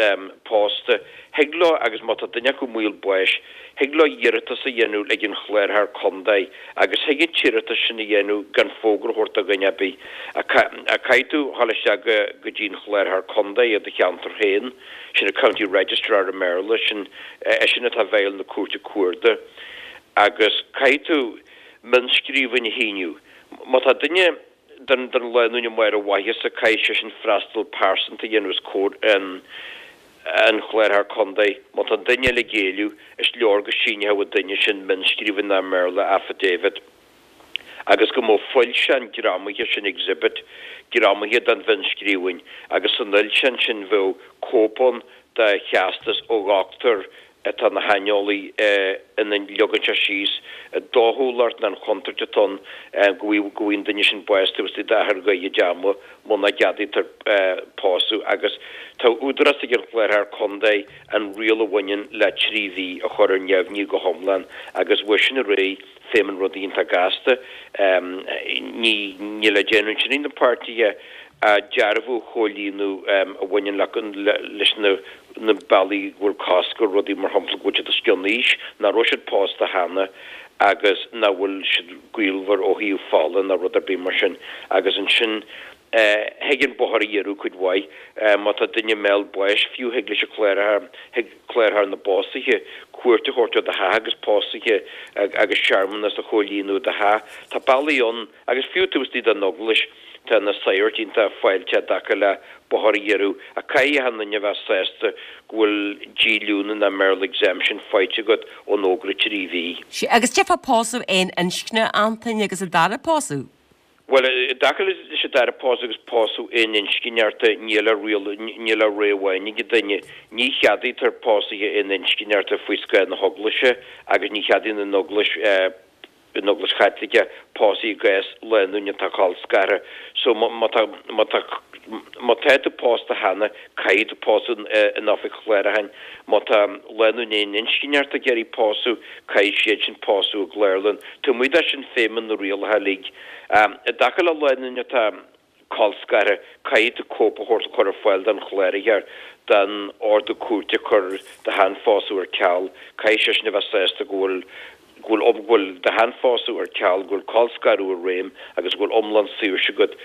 pósta, thig leo, agus má tá duine acu i mbaol báis, Thig leo iarratas a dhéanamh ag an Chláraitheoir Contae agus thig an t-iarratas sin a dhéanamh gan fógra a thabhairt do dhuine ar bith. Caithfidh tú dhul isteach go dtí an Chláraitheoir Contae i do cheantar féin, sin an County Registrar i mBéarla, sin eisean atá i bhfeighil na Cúirte Cuarda, agus caithfidh tú mionnscríbhinn a shíniú. Má tá duine den lánúin amuigh ar a mhaitheasa, caithfidh seisean freastal pearsanta a dhéanamh os comhair an an Chláraitheoir Contae. Má tá an duine eile ag géilleadh, is leor go síneodh an duine sin mionnscríbhinn nó i mBéarla affidavit agus go mbeadh foilseán greamaithe, sin exhibit, greamaithe den mhionnscríbhinn agus san fhoilseán sin bheadh cóip ann de theastas ó dhochtúir atá ina shaineolaí ina leagann sé síos an dóchúlacht nó an chontúirt atá ann go bhfaighidh an duine sin bás taobh istigh d'achar gairid ama muna gceadaítear pósadh agus tá údarás ag an Chláraitheoir Contae an riail a bhaineann le 3 mhí a chur ar neamhní go hiomlán agus uaidh sin ar aghaidh feidhm an rud iontach gasta. Níl le déanamh ansin ag na páirtithe ach dearbhú a chomhlíonadh a bhaineann leis na na bealaí go bhfuil cosc ar rudaí, mar shampla, go bhfuil siad os cionn aois, nach raibh siad pósta cheana agus nach bhfuil siad gaolmhar ó thaobh fola ná rud ar bith mar sin. Agus ansin, thig an bóthar a ghiorrú cuid mhaith. Má tá duine i mbéal báis fiú, thig leis an chláraitheoir, thig cláraitheoir na bpósuithe cuairt a thabhairt ar do theach agus pósuithe agus searmanas a chomhlíonadh i do theach. Tá bealaí ann. Agus fiú taobh istigh den Eaglais, tá na sagairt iontach fáilteach i dtaca le bóthar a ghiorrú, ach caithfidh achan duine a bheith sásta go bhfuil díolúine nó i mBéarla exemption faighte agat ón fhógra 3 mhí. Sea, agus cad é fá pósadh aon inscne, Antain, agus an dara pósadh? Bhuel, i dtaca leis an dara pósadh agus pósadh aon inscne ort, níl ach riail, níl ach rogha amháin ag an duine. Ní cheadaítear pósuithe aon inscne ort faoi scáth na hEaglaise agus ní cheadaíonn an Eaglais, an Eaglais Chaitliceach pósadh i gcás lánúin atá colscartha. So má tá má tá má tá tú pósta cheana caithfidh tú pósadh in oifig chláracháin. Má tá lánúin aon inscne ort ag iarraidh pósadh caithfidh siad sin pósadh i gclárlann. Taobh amuigh de sin feidhmeann na rialacha uilig. I dtaca le lánúin atá colscartha, caithfidh tú cóip a thabhairt a chur ar fáil don chláraitheoir den ordú cúirte a chuir do sheanphósadh ar ceal. Caithfidh seisean a bheith sásta go bhfuil go bhfuil go bhfuil do sheanphósadh ar ceal, go bhfuil colscaradh i réim agus go bhfuil iomlán saoirse agat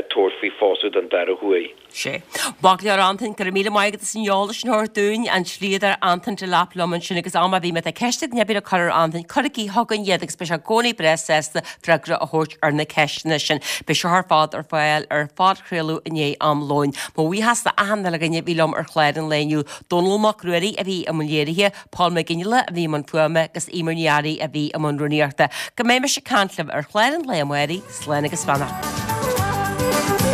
tabhairt faoi phósadh den dara huair. Sea. Maith go leor Antain, go raibh míle maith agat as an eolas sin a thabhairt dúinn, an dlíodóir Antain Delap liom ansin agus am ar bith má tá ceist ag duine ar bith le cur ar Antain, cuirigí chugainn iad agus beidh sé i gcónaí breá sásta freagra a thabhairt ar na ceisteanna sin. Beidh seo ar fad ar fáil ar phodchraoladh i ndiaidh am lóin. Mo bhuíochas d'achan uile dhuine a bhí liom ar chlár an lae inniu, Dónall Mac Ruairí a bhí i mbun léirithe, Paul McGinley a bhí i mbun fuaime agus Eimear Ní Fhearraigh a bhí i mbun rúnaíochta. Go mbeidh mise ag caint libh ar chlár an lae amárach, slán agus beannacht.